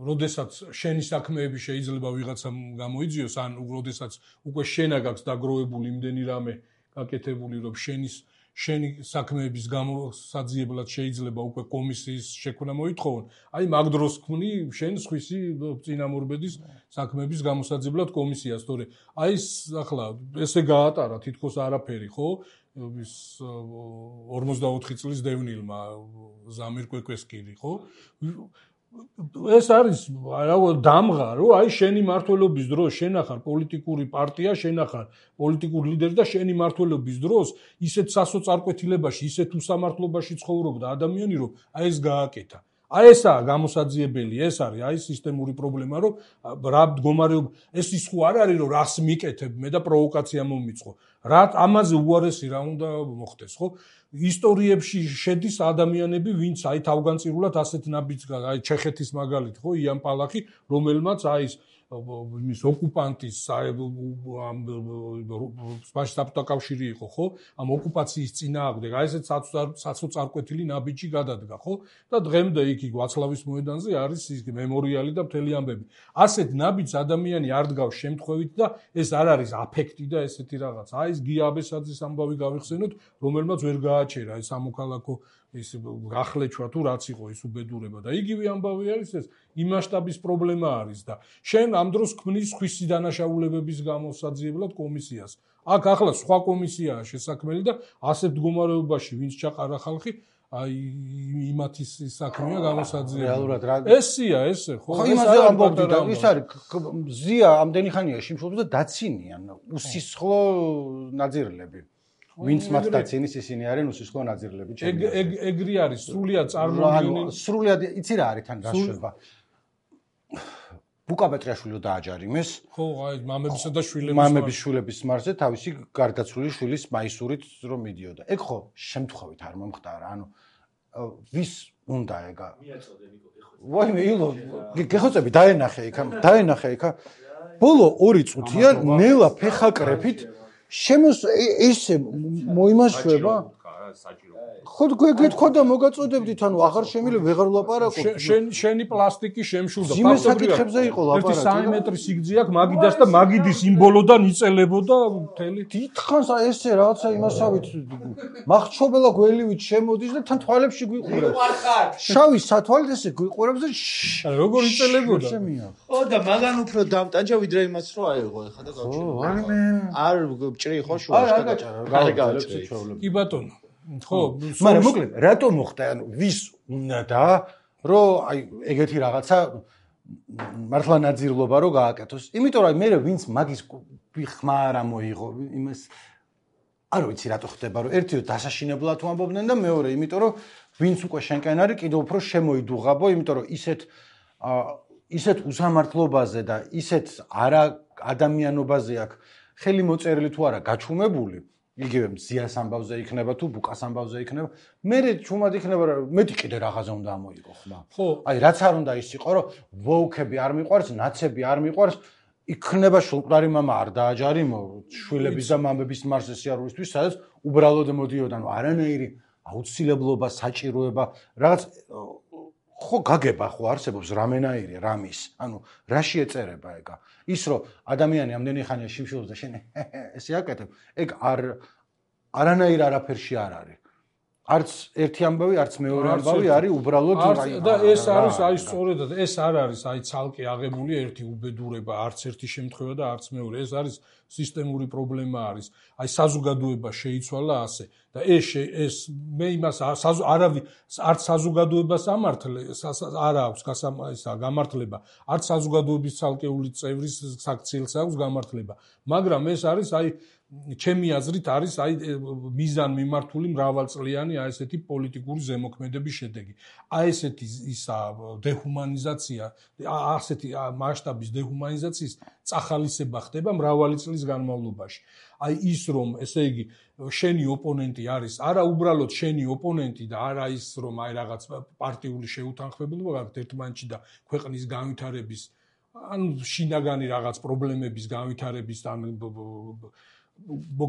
როდესაც შენი საქმეები შეიძლება ვიღაცამ გამოიძიოს, ან როდესაც უკვე შენა გაქვს დაგროვებული იმდენი რამე გაკეთებული, რომ შენის შენი საქმეების გამოსაძიებლად შეიძლება უკვე კომისიის შექმნა მოითხოვონ. აი მაგ დროს ქმნი შენ სხვისი წინამორბედის საქმეების გამოსაძიებლად კომისიას, თორე აი ახლა ესე გაატარა თითქოს არაფერი, ხო? ის ორმოცდაოთხი წლის დევნილმა ზამირ კვეკვესკირი, ხო? ეს არის რა დამღა, რომ აი შენი მართლობის დროს შენ ახარ პოლიტიკური პარტია, შენ ახარ პოლიტიკური ლიდერი და შენი მართლობის დროს ისეთ სასოწარკვეთილებაში, ისეთ უსამართლობაში ცხოვრობდა ადამიანი, რომ აი ეს გააკეთა. აი ესაა გამოსაძიებელი, ეს არის აი სისტემური პრობლემა, რომ რა მდგომარეობა, ეს ის ხო არ არის, რომ რას მიკეთებ მე და პროვოკაცია მომიწყო. რა ამაზე უარესი რა უნდა მოხდეს, ხო? ისტორიებში შედის ადამიანები, ვინც აი თავგანწირულად ასეთ ნაბიჯს, აი ჩეხეთის მაგალითი, ხო, იან პალახი, რომელმაც აი ის ოკუპანტის სპაშ საბჭოთა კავშირი იყო, ხო? ამ ოკუპაციის წინააღმდეგ აი ესეთ საცოწარკვეთილი ნაბიჯი გადადგა, ხო? და დღემდე იქ ვაცლავის მოედანზე არის ის მემორიალი და მთელი ამბები. ასეთ ნაბიჯს ადამიანი არ დგავს შემთხვევით და ეს არ არის აფექტი და ესეთი რაღაც. აი ეს გია აბესაძის ამბავი გავიხსენოთ, რომელმაც ვერ გააჩერა ეს სამოქალაქო ის გახლეჩვა თუ რაც იყო ის უბედურება და იგივე ამბავი არის ეს იმ მასშტაბის პრობლემა არის და შენ ამ დროს ქმნის ხვისი დანაშაულებების გამოსაძიებლად კომისიას. აქ ახლა სხვა კომისიაა შესაქმელი და ასეთ მდგომარეობაში ვინც ჩაყარა ხალხი აი იმათის საქმეა გამოსაძიებელი. რეალურად რა ესია ესე ხო? ხო იმაზე ამბობდი და ის არის ზია ამდენი ხანია შიმშილობს და დაცინიან უსისხლო ნაძირლები. ვინც მათ დაცინის ისინი არიან უსისხლო ნაძირლები. ეგრი არის სრულიად წარმოუდგენელი. სრულიად იცი რა არის თან რაშება. ბუკა პეტრიაშვილო დააჯარიმეს. ხო, აი მამებისა და შვილების მამების შვილების მარზე თავისი გარდაცვლილი შვილის მაისურით რომ მიდიოდა. ეგ ხო შემთხვევით არ მომხდარა. ანუ ვის უნდა ეგა? მიაწოდე ნიკო, ეხო. ვაიმე, ილო, გეხოცები დაენახე იქ, დაენახე იქ. ბოლო ორი წუთია ნელა ფეხაკრეფით შემოს ესე მოიმაშვება. ხო გეთქვა და მოგაწოდებდით, ანუ აღარ შემიძლია ვეღარ ვლაპარაკობ. შენ შენი პლასტიკი შემშულდა. ძიმე საკითხებზე იყო ლაპარაკი. ერთი სამი მეტრი სიგრძე აქვს, მაგიდას და მაგიდის იმბოლოდან იწელებოდა მთელი. დიდხანს ესე რაღაცა იმასავით მახჩობელა გველივით შემოდის და თან თვალებში გვიყურებს. შავი სათვალით ესე გვიყურებს და როგორ იწელებოდა? ხო და მაგან უფრო დამტანჯა ვიდრე იმას რო აიღო ხა და გავჭირე. ხო, ვაიმე. არ ჭრი ხო შუაში და არ გაჭარა. არ გაჭრე. კი ბატონო. ხო, მაგრამ მოკლედ რატო მოხდა? ანუ ვის უნდა და რომ აი ეგეთი რაღაცა მართლა ნაძირლობა რო გააკეთოს? იმიტომ რომ მე ვინც მაგის ხმა არ მოიღო იმას არ ვიცი რატო ხდება რომ ერთი დასაშინებლად თუ ამბობდნენ და მეორე იმიტომ რომ ვინც უკვე შენკენ არის კიდევ უფრო შემოიდუღაბო, იმიტომ რომ ისეთ ისეთ უსამართლობაზე და ისეთ არა ადამიანობაზე აქვს ხელი მოწერილი თუ არა გაჩუმებული იგივე მზიას ამბავზე იქნება თუ ბუკას ამბავზე იქნება. მე ჩუმად იქნება რომ მეტი კიდე რაღაცა უნდა ამოიღო ხმა. ხო. აი რაც არ უნდა ის იყო რომ ვოუქები არ მიყვარს, ნაცები არ მიყვარს, იქნება შულყარი მამა არ დააჯარიმო შვილების და მამების მარზე სიარულისთვის, სადაც უბრალოდ მოდიოდა, ანუ არანაირი აუცილებლობა, საჭიროება, რაღაც ხო გაგება ხო არსებობს რამენაირი რამის. ანუ რაში ეწერება ეგა? ის რომ ადამიანი ამდენი ხანია შიმშილობს და შენ ესე აკეთებ, ეგ არ არანაირ არაფერში არ არის. არც ერთი ამბავი, არც მეორე ამბავი არის უბრალოდ აი და ეს არის აი სწორედად ეს არ არის აი ცალკე აღებული ერთი უბედურება, არც ერთი შემთხვევა და არც მეორე. ეს არის სისტემური პრობლემა არის. აი საზოგადოება შეიცვალა ასე და ეს ეს მე იმას არავი არც საზოგადოებას ამართლე არ აქვს გასამისა გამართლება, არც საზოგადოების ცალკეული წევრის საქციელს აქვს გამართლება. მაგრამ ეს არის აი ჩემი აზრით არის აი მიზან მიმართული მრავალწლიანი აი ესეთი პოლიტიკური ზემოქმედების შედეგი. აი ესეთი ისა დეჰუმანიზაცია, ასეთი მასშტაბის დეჰუმანიზაციის წახალისება ხდება მრავალი წლის განმავლობაში. აი ის რომ ესე იგი შენი ოპონენტი არის, არა უბრალოდ შენი ოპონენტი და არა ის რომ აი რაღაც პარტიული შეუთანხმებლობა გაქვთ ერთმანეთში და ქვეყნის განვითარების ან შინაგანი რაღაც პრობლემების განვითარების ან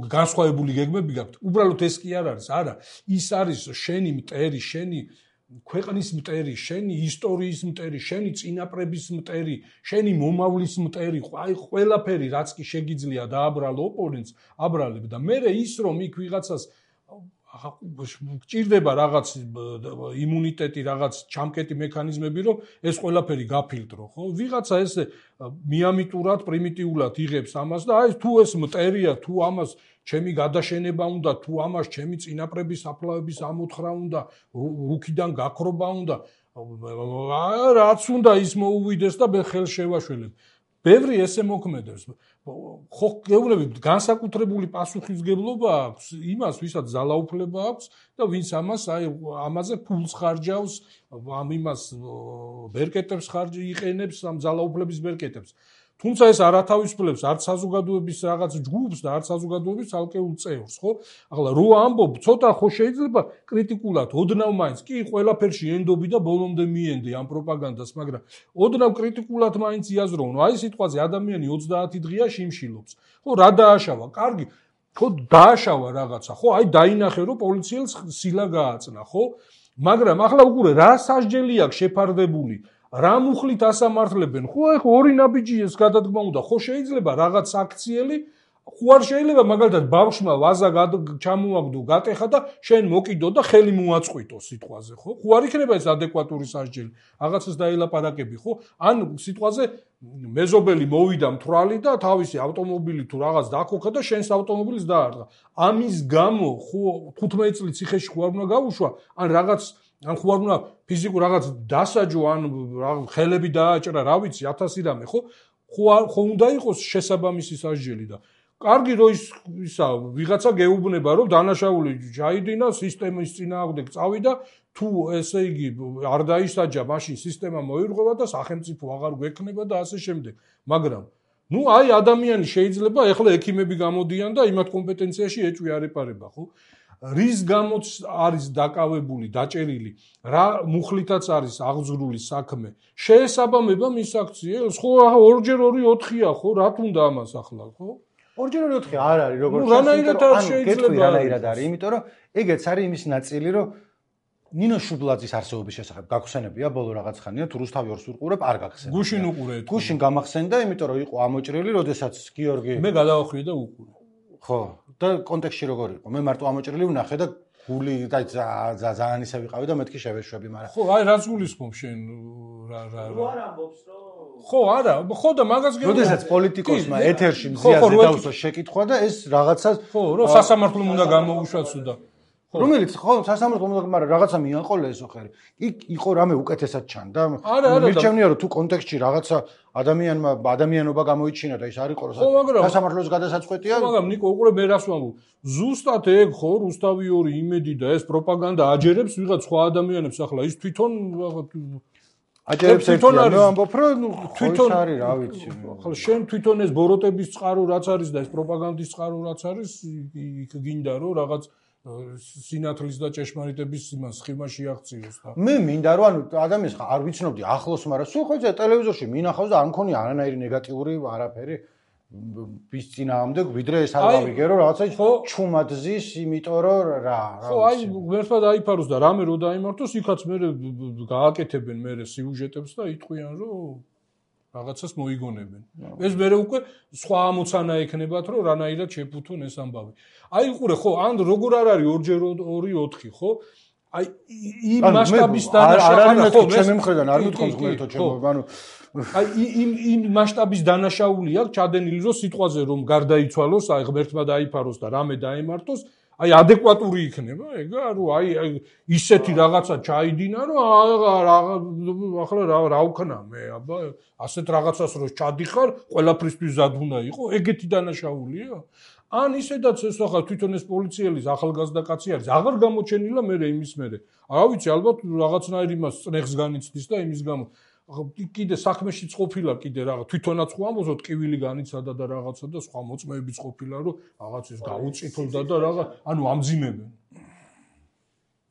განსხვავებული გეგმები გაქვთ. უბრალოდ ეს კი არ არის, არა, ის არის შენი მტერი, შენი ქვეყნის მტერი, შენი ისტორიის მტერი, შენი წინაპრების მტერი, შენი მომავლის მტერი, აი ყველაფერი რაც კი შეგიძლია დააბრალო ოპონენტს, აბრალებ და მე ის რომ იქ ვიღაცას გჭირდება რაღაც იმუნიტეტი, რაღაც ჩამკეტი მექანიზმები, რომ ეს ყველაფერი გაფილტრო, ხო? ვიღაცა ესე მიამიტურად, პრიმიტიულად იღებს ამას და აი თუ ეს მტერია, თუ ამას ჩემი გადაშენება უნდა, თუ ამას ჩემი წინაპრების საფლავების ამოთხრა უნდა, რუქიდან გაქრობა უნდა, რაც უნდა ის მოუვიდეს და მე ხელს შევაშველებ. ბევრი ესე მოქმედებს. ხო, გეუბნებით, განსაკუთრებული პასუხისმგებლობა აქვს იმას, ვისაც ძალაუფლება აქვს და ვინც ამას აი ამაზე ფულს ხარჯავს, ამ იმას ბერკეტებს ხარჯი იყენებს, ამ ძალაუფლების ბერკეტებს. თუმცა ეს არ ათავისუფლებს არც საზოგადოების რაღაც ჯგუფს და არც საზოგადოების ალკეულ წევრს, ხო? ახლა რო ამბობ, ცოტა ხო შეიძლება კრიტიკულად, ოდნავ მაინც კი ყველაფერში ენდობი და ბოლომდე მიენდი ამ პროპაგანდას, მაგრამ ოდნავ კრიტიკულად მაინც იაზროვნო. აი სიტყვაზე ადამიანი ოცდაათი დღეა შიმშილობს. ხო, რა დააშავა? კარგი. ხო, დააშავა რაღაცა. ხო, აი დაინახე რომ პოლიციელს სილა გააწნა, ხო? მაგრამ ახლა უყურე, რა სასჯელი აქვს შეფარდებული? რა მუხლით ასამართლებენ? ხო, ეხა ორი ნაბიჯი ეს გადადგმა უნდა. ხო შეიძლება რაღაც აქციელი, ხო არ შეიძლება მაგალითად ბავშვმა ვაზა ჩამოაგდო, გატეხა და შენ მოკიდო და ხელი მოაწყვიტო სიტყვაზე, ხო? ხო არ იქნება ეს ადეკვატური სასჯელი. რაღაცას დაელაპარაკები, ხო? ან სიტყვაზე მეზობელი მოვიდა მთვრალი და თავისი ავტომობილი თუ რაღაც დაქოქა და შენს ავტომობილს დაარტყა. ამის გამო ხო თხუთმეტი წელი ციხეში ხო არ უნდა გავუშვა, ან რაღაც ან ხო არ უნდა ფიზიკურ რაღაც დასაჯო, ან ხელები დააჭრა, რა ვიცი, ათასი რამე, ხო? ხო უნდა იყოს შესაბამისი სასჯელი და კარგი რომ ის ისა ვიღაცა გეუბნება რომ დანაშაული ჩაიდინა, სისტემის წინააღმდეგ წავიდა, თუ ესე იგი არ დაისაჯა, მაშინ სისტემა მოირღვევა და სახელმწიფო აღარ გვექნება და ასე შემდეგ. მაგრამ ნუ აი ადამიანი შეიძლება ეხლა ექიმები გამოდიან და იმათ კომპეტენციაში ეჭვი არ ეპარება, ხო? რის გამოც არის დაკავებული, დაჭერილი, რა მუხლითაც არის აღძრული საქმე. შეესაბამება მის აქციელს, ხო, ორჯერ ორი ოთხია, ხო, რა თუნდა ამას ახლა, ხო? ორჯერ ორი ოთხი არ არის, როგორც ჩანს. რანაირად არ შეიძლება? რანაირად არის, იმიტომ რომ ეგეც არის იმის ნაწილი, რომ ნინო შუბლაძის არსებობის შესახებ გაგხსენებია ბოლო რაღაც ხანია, თუ რუსთავი ორს ვიყურებ, არ გაგხსენებია. გუშინ უყურე. გუშინ გამახსენდა, იმიტომ რომ იყო ამოჭრილი, როდესაც გიორგი მე გადავახვიე და უყურე. ხო, და კონტექსტში როგორ იყო? მე მარტო ამოჭრილი ვნახე და გული და ძალიან ისე ვიყავი და მეთქი შევეშვები, მაგრამ ხო, აი რაც გულისხმობ შენ რა რა რა. რო არ ამბობს რომ ხო, არა, ხო და მაგას გეუბნები. როდესაც პოლიტიკოსმა ეთერში მზიაზე დაუსვა შეკითხვა და ეს რაღაცას ხო, რომ სასამართლომ უნდა გამოუშვას და რომელიც ხო სასამართლომ უნდა, მაგრამ რაღაცა მიაყოლე ესო ხერი. იქ იყო რამე უკეთესად ჩანდა. მირჩევნია რომ თუ კონტექსტში რაღაცა ადამიანმა ადამიანობა გამოიჩინა და ის არ იყო რომ სასამართლოს გადასაწყვეტია. მაგრამ ნიკო უყურე მე რას ვამბობ. ზუსტად ეგ ხო რუსთავი ორი იმედი და ეს პროპაგანდა აჯერებს ვიღაც სხვა ადამიანებს ახლა ის თვითონ აჯერებს ერთიან მე ვამბობ რომ თვითონ არის რა ვიცი. ახლა შენ თვითონ ეს ბოროტების წყარო რაც არის და ეს პროპაგანდის წყარო რაც არის იქ გინდა რომ რაღაც სინათლის და ჭეშმარიტების იმას სხივაში აღწიოს და მე მინდა რომ ანუ ადამიანს არ ვიცნობდი ახლოს, მაგრამ სულ ხო ტელევიზორში მინახავს და არ მქონია არანაირი ნეგატიური არაფერი bis წინააღმდეგ, ვიდრე ეს არ გავიგე რომ რაღაცა ჩუმად ზის, იმიტომ რომ რა ხო აი ღმერთმა დაიფაროს და რამე რო დაიმართოს, იქაც მე გააკეთებენ მე სიუჟეტებს და იტყვიან რომ რაღაცას მოიგონებენ. ეს მე უკვე სხვა ამოცანა ექნებათ, რომ რანაირად შეფუთონ ეს ამბავი. აი უყურე ხო, ან როგორ არ არის ორჯერ ორი ოთხი, ხო? აი იმ მასშტაბის დანაშაულია, ხო, ჩემი მხრიდან არ მithქვამს ღმერთო ჩემო, ანუ აი იმ იმ მასშტაბის დანაშაული აქვს ჩადენილი, რომ სიტყვაზე რომ გარდაიცვალოს, აი ღმერთმა დაიფაროს და რამე დაემართოს, აი ადეკვატური იქნება, ეგა რომ აი ისეთი რაღაცა ჩაიდინა, რომ ახლა რა რა ვქნა მე, აბა ასეთ რაღაცას რო ჩადიხარ, ყველაფრისთვის ზად უნდა იყო, ეგეთი დანაშაულია? ან ისედაც ეს ახლა თვითონ ეს პოლიციელის ახალგაზრდა კაცი არის, აღარ გამოჩენილა მე იმის მერე. რა ვიცი, ალბათ რაღაცნაირ იმას წნეხს განიცდის და იმის გამო კიდე საქმეშიც ყოფილა კიდე რაღაც თვითონაც ხო ამბობთ ტკივილი განიცადა და რაღაცა და სხვა მოწმეებიც ყოფილა რომ რაღაც ის გაუწიფლდა და რაღაც ანუ ამძიმებენ.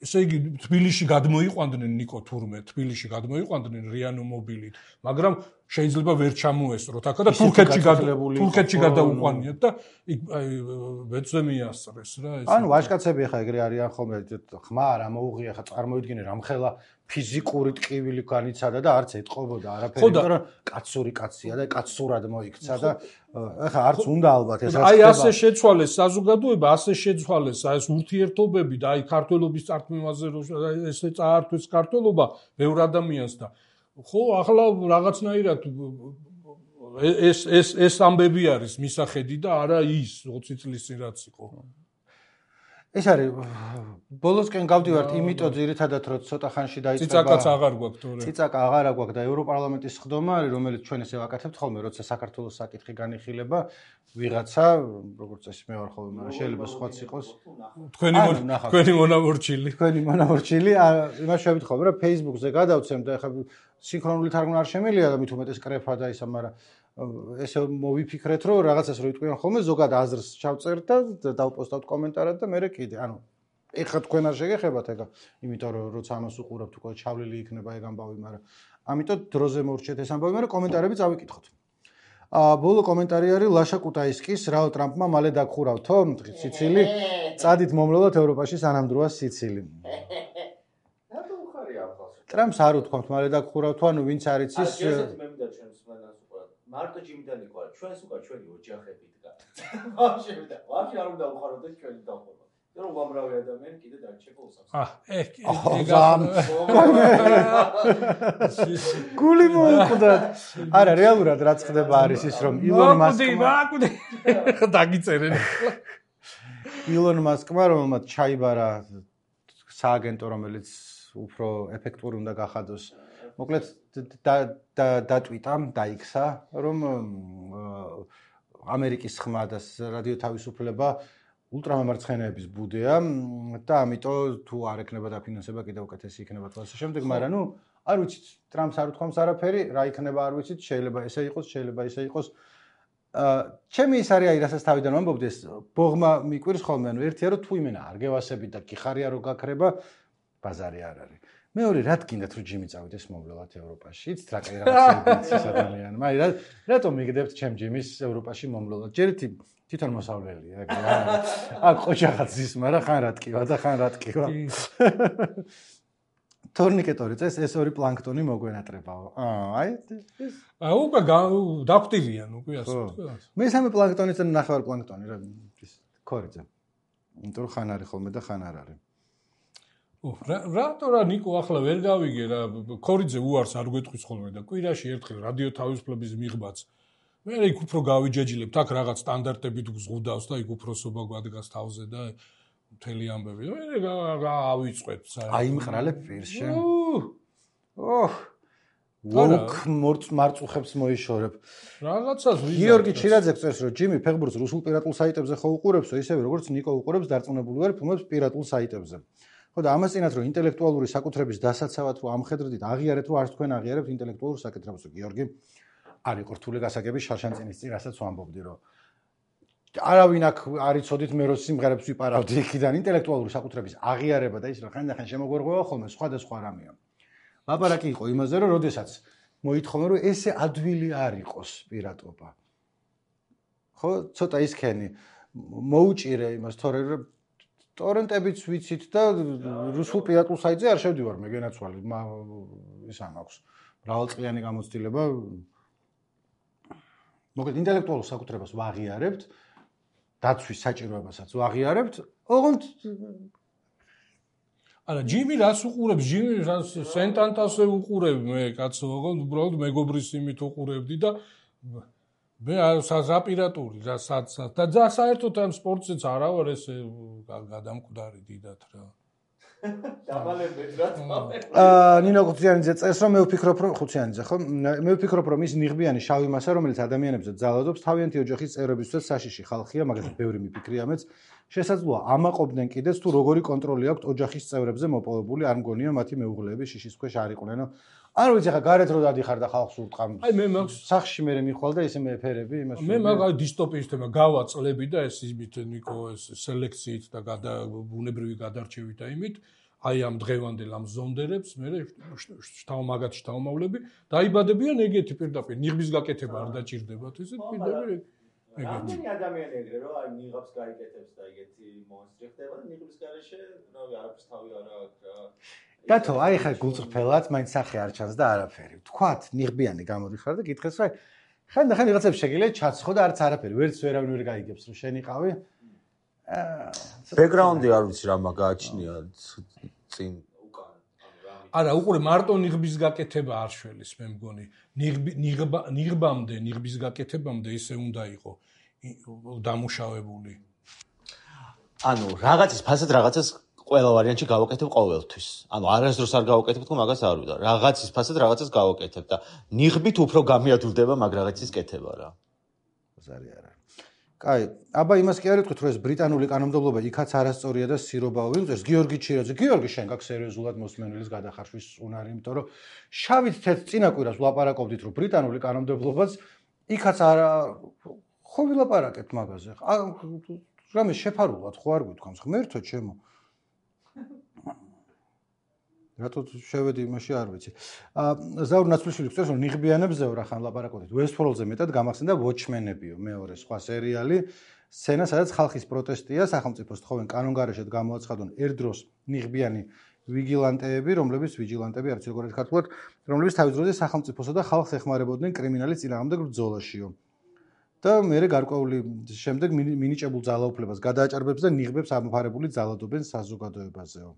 ესე იგი თბილისში გადმოიყვანდნენ ნიკო თურმე, თბილისში გადმოიყვანდნენ რიანო მობილით, მაგრამ შეიძლება ვერ ჩამოესწროთ აქა და თურქეთში გადაულებული, თურქეთში გადაუყვანიათ და იქ აი ვეცზე მიასწრეს რა ეს. ანუ ვაჟკაცები ხა ეგრე არიან ხოლმე, ხმა რა მოუღია ხა წარმოიდგინე რამხელა ფიზიკური ტკივილი განიცადა და არც ეთყობოდა არაფერი, იმიტომ რომ კაცური კაცია და კაცურად მოიქცა და ეხლა არც უნდა ალბათ ეს აი ასე შეცვალეს საზოგადოება, ასე შეცვალეს აი ეს ურთიერთობები და აი ქართველობის წარქმევაზე ესე წაართვეს ქართველობა ბევრ ადამიანს და ხო ახლა რაღაცნაირად ეს ეს ეს ამბები არის მისახედი და არა ის ოცი წლის წინ რაც იყო. ეს არის ბოლოსკენ გავდივართ იმიტომ ძირითადად რომ ცოტა ხანში დაიწყება ციცაკაც აღარ გვაქვს თორე ციცაკა აღარ გვაქვს და ევროპარლამენტის სხდომა არის რომელიც ჩვენ ესე ვაკეთებთ ხოლმე როცა საქართველოს საკითხი განიხილება ვიღაცა როგორც წესი მე ვარ ხოლმე მაგრამ შეიძლება სხვაც იყოს თქვენი თქვენი მონამორჩილი თქვენი მონამორჩილი იმას შევით ხოლმე რომ Facebook-ზე გადავცემ და ეხლა სინქრონული თარგმნა არ შემიძლია და მით უმეტეს კრეფა და ისა მაგრამ ესე მოვიფიქრეთ რომ რაღაცას რო იტყვიან ხოლმე ზოგად აზრს ჩავწერთ და დავპოსტავთ კომენტარად და მე კიდე ანუ ეხლა თქვენ არ შეგეხებათ ეგა იმიტომ რომ როცა ამას უყურებთ უკვე ჩავლილი იქნება ეგ ამბავი მაგრამ ამიტომ დროზე მორჩეთ ეს ამბავი მაგრამ კომენტარები წავიკითხოთ აა ბოლო კომენტარი არის ლაშა კუტაისკის რაო ტრამპმა მალე დაგხურავთო სიცილი წადით მომლელოთ ევროპაში სანამდროა სიცილი რატო უხარია ახალს ტრამპს არ უთქვამთ მალე დაგხურავთო ანუ ვინც არ იცის მარტო ჯიმიდან იყო ჩვენს უკვე ჩვენი ოჯახები დგა ვაფშე და ვაფშე არ უნდა უხაროდეს ჩვენი დახურვა რომ უამრავი ადამიანი კიდე დარჩება უსამს აა ეგ გული მოუკვდა არა რეალურად რაც ხდება არის ის რომ ილონ მასკმა დაგიწერენ ილონ მასკმა რომელმაც ჩაიბარა სააგენტო რომელიც უფრო ეფექტური უნდა გახადოს მოკლედ დატვიტა, დაიქცა, რომ ამერიკის ხმა და რადიო თავისუფლება ულტრამამარცხენეების ბუდეა და ამიტომ თუ არ ექნება დაფინანსება კიდევ უკეთესი იქნება თვალსა შემდეგ, მაგრამ ნუ არ ვიცით, ტრამპს არ უთქვამს არაფერი, რა იქნება არ ვიცით, შეიძლება ესე იყოს, შეიძლება ესე იყოს. ჩემი ის არის აი რასაც თავიდან ვამბობდი ეს ბოღმა მიკვირს ხოლმე, ანუ ერთია რომ თუ იმენა არ გევასებით და გიხარია რომ გაქრება, ბაზარი არ არის. მეორე რა გინდათ რომ ჯიმი წავიდეს მომვლელად ევროპაში? იცით რა კაი რაღაცები ის ადამიანი. მაგრამ რატომ მიგდებთ ჩემ ჯიმის ევროპაში მომვლელად? ჯერითი თვითონ მოსავლელია, ეგრე არა. აქ ყოჩაღაც ის, მაგრამ ხან რა ტკივა და ხან რა ტკივა. თორნიკეტორი წეს ეს ორი პლანქტონი მოგვენატრებაო. აა, აი ეს აა უკვე დაგვტირიან უკვე ასე თქვა. მესამე პლანქტონიც და ნახევარ პლანქტონი რა ის ქორიძე. იმიტომ რომ ხან არის ხოლმე და ხან არ არის. რატო რა ნიკო ახლა ვერ გავიგე რა ქორიძე უარს არ გვეტყვის ხოლმე და კვირაში ერთხელ რადიო თავისუფლების მიღბაც მე იქ უფრო გავიჯეჯილებთ აქ რაღაც სტანდარტებით გზღუდავს და იქ უფროსობა გვადგას თავზე და მთელი ამბები მე რა ავიწყეთ აიმყრალებ პირში ოჰ ლოკ მარწუხებს მოიშორებ რაღაცას ვიზა გიორგი ჩირაძე წერს რომ ჯიმი ფეხბურთს რუსულ პირატულ საიტებზე ხო უყურებსო ისევე როგორც ნიკო უყურებს დარწმუნებული ვარ ფილმებს პირატულ საიტებზე ხო და ამას წინათ რომ ინტელექტუალური საკუთრების დასაცავად რომ ამხედრდით აღიარეთ რომ არც თქვენ აღიარებთ ინტელექტუალურ საკითხებს გიორგი არ იყო რთული გასაგები შარშანწინის წინ რასაც ვამბობდი რომ არავინ აქ არ იცოდით მე რო სიმღერებს ვიპარავდი იქიდან ინტელექტუალური საკუთრების აღიარება და ის რომ ხანდახან შემოგვერღვევა ხოლმე სხვადასხვა რამეა ლაპარაკი იყო იმაზე რომ როდესაც მოითხოვენ რომ ესე ადვილი არ იყოს პირატობა ხო ცოტა ისქენი მოუჭირე იმას თორე რომ ტორენტებიც ვიცით და რუსულ პირატულ საიტზე არ შევდივარ მე გენაცვალი ის ამ აქვს მრავალწლიანი გამოცდილება მოკლედ ინტელექტუალურ საკუთრებას ვაღიარებთ დაცვის საჭიროებასაც ვაღიარებთ ოღონდ არა ჯიმი რას უყურებს ჯიმი რას სენტანტასზე უყურებ მე კაცო ოღონდ უბრალოდ მეგობრის იმით უყურებდი და მე რა პირატული რა საცაც და ძა საერთოდ ამ სპორტზეც არა ვარ ესე გადამკვდარი დიდად რა დაბალებით რა აა ნინო ხუციანიძე წეს რომ მე ვფიქრობ რომ ხუციანიძე ხო მე ვფიქრობ რომ ის ნიღბიანი შავი მასა რომელიც ადამიანებზე ძალადობს თავიანთი ოჯახის წევრებისთვის საშიში ხალხია მაგალითად ბევრი მიფიქრია მეც შესაძლოა ამაყობდნენ კიდეც თუ როგორი კონტროლი აქვს ოჯახის წევრებზე მოპოვებული არ მგონია მათი მეუღლეები შიშის ქვეშ არ იყვნენ არ ვიცი ხა გარეთ რო დადიხარ და ხალხს ურტყამ აი მე მაქვს სახში მე მიხვალ და ისე მეფერები იმას მე მაგ დისტოპიის თემა გავაწლები და ეს იმით ნიკო ეს სელექციით და ბუნებრივი გადარჩევით და იმით აი ამ დღევანდელ ამ ზონდერებს მე შთავ მაგათ შთავმავლები დაიბადებიან ეგეთი პირდაპირ ნიღბის გაკეთება არ დაჭირდებათ ესე პირდაპირ ეგეთი ადამიანი ეგრე რომ აი ნიღბს გაიკეთებს და ეგეთი მონსტრი ხდება და ნიღბის გარეშე რავი არაფერს თავი არა აქვს რა დათო, აი ხა გულწრფელად მაინც სახე არ ჩანს და არაფერი. თქვათ, ნიღბიანი გამოდიხარ და გითხეს, რა ხან და ხან რაღაცებს შეგიძლია ჩაცხო და არც არაფერი, ვერც ვერავინ ვერ გაიგებს, რომ შენ იყავი. აა, ბექგრაუნდი არ ვიცი რა მაგააჩნია წინ. არა, უყურე მარტო ნიღბის გაკეთება არ შველის, მე მგონი. ნიღბა ნიღბამდე, ნიღბის გაკეთებამდე ისე უნდა იყოს დამუშავებული. ანუ რაღაცის ფასად რაღაცას ყველა ვარიანტში გავაკეთებ ყოველთვის. ანუ არასდროს არ გავაკეთებ თქო მაგას არ ვიდა. რაღაცის ფასად რაღაცას გავაკეთებ და ნიღბით უფრო გამიადვილდება მაგ რაღაცის კეთება რა. ზარი არა. კაი, აბა იმას კი არ იტყვით, რომ ეს ბრიტანული კანონმდებლობა იქაც არასწორია და სირობაო ვიღწევს. გიორგი ჩირაძე, გიორგი შენ გაქვს სერიოზულად მოსმენელის გადახარშვის უნარი, იმიტომ რომ შავით თეთრ წინა კვირას ვლაპარაკობდით, რომ ბრიტანული კანონმდებლობაც იქაც არა ხო ვილაპარაკებთ მაგაზე. რამე შეფარულად ხო არ გვითქვამს, ღმერთო ჩემო. რატო შევედი იმაში არ ვიცი. აა ზაურ ნაცვლიშვილი გწევს რომ ნიღბიანებზე რა ხან ლაპარაკობდით. Westworld-ზე მეტად გამახსენდა Watchmen-ებიო, მეორე სხვა სერიალი, სცენა, სადაც ხალხის პროტესტია, სახელმწიფოს თხოვენ კანონგარეშედ გამოაცხადონ ერთდროს ნიღბიანი ვიგილანტეები, რომლებიც ვიჯილანტები არც როგორ არის ქართულად, რომლებიც თავის დროზე სახელმწიფოსა და ხალხს ეხმარებოდნენ კრიმინალის წინააღმდეგ ბრძოლაშიო. და მერე გარკვეული შემდეგ მინიჭებულ ძალაუფლებას გადააჭარბებს და ნიღბებს ამოფარებული ძალადობენ საზოგადოებაზეო.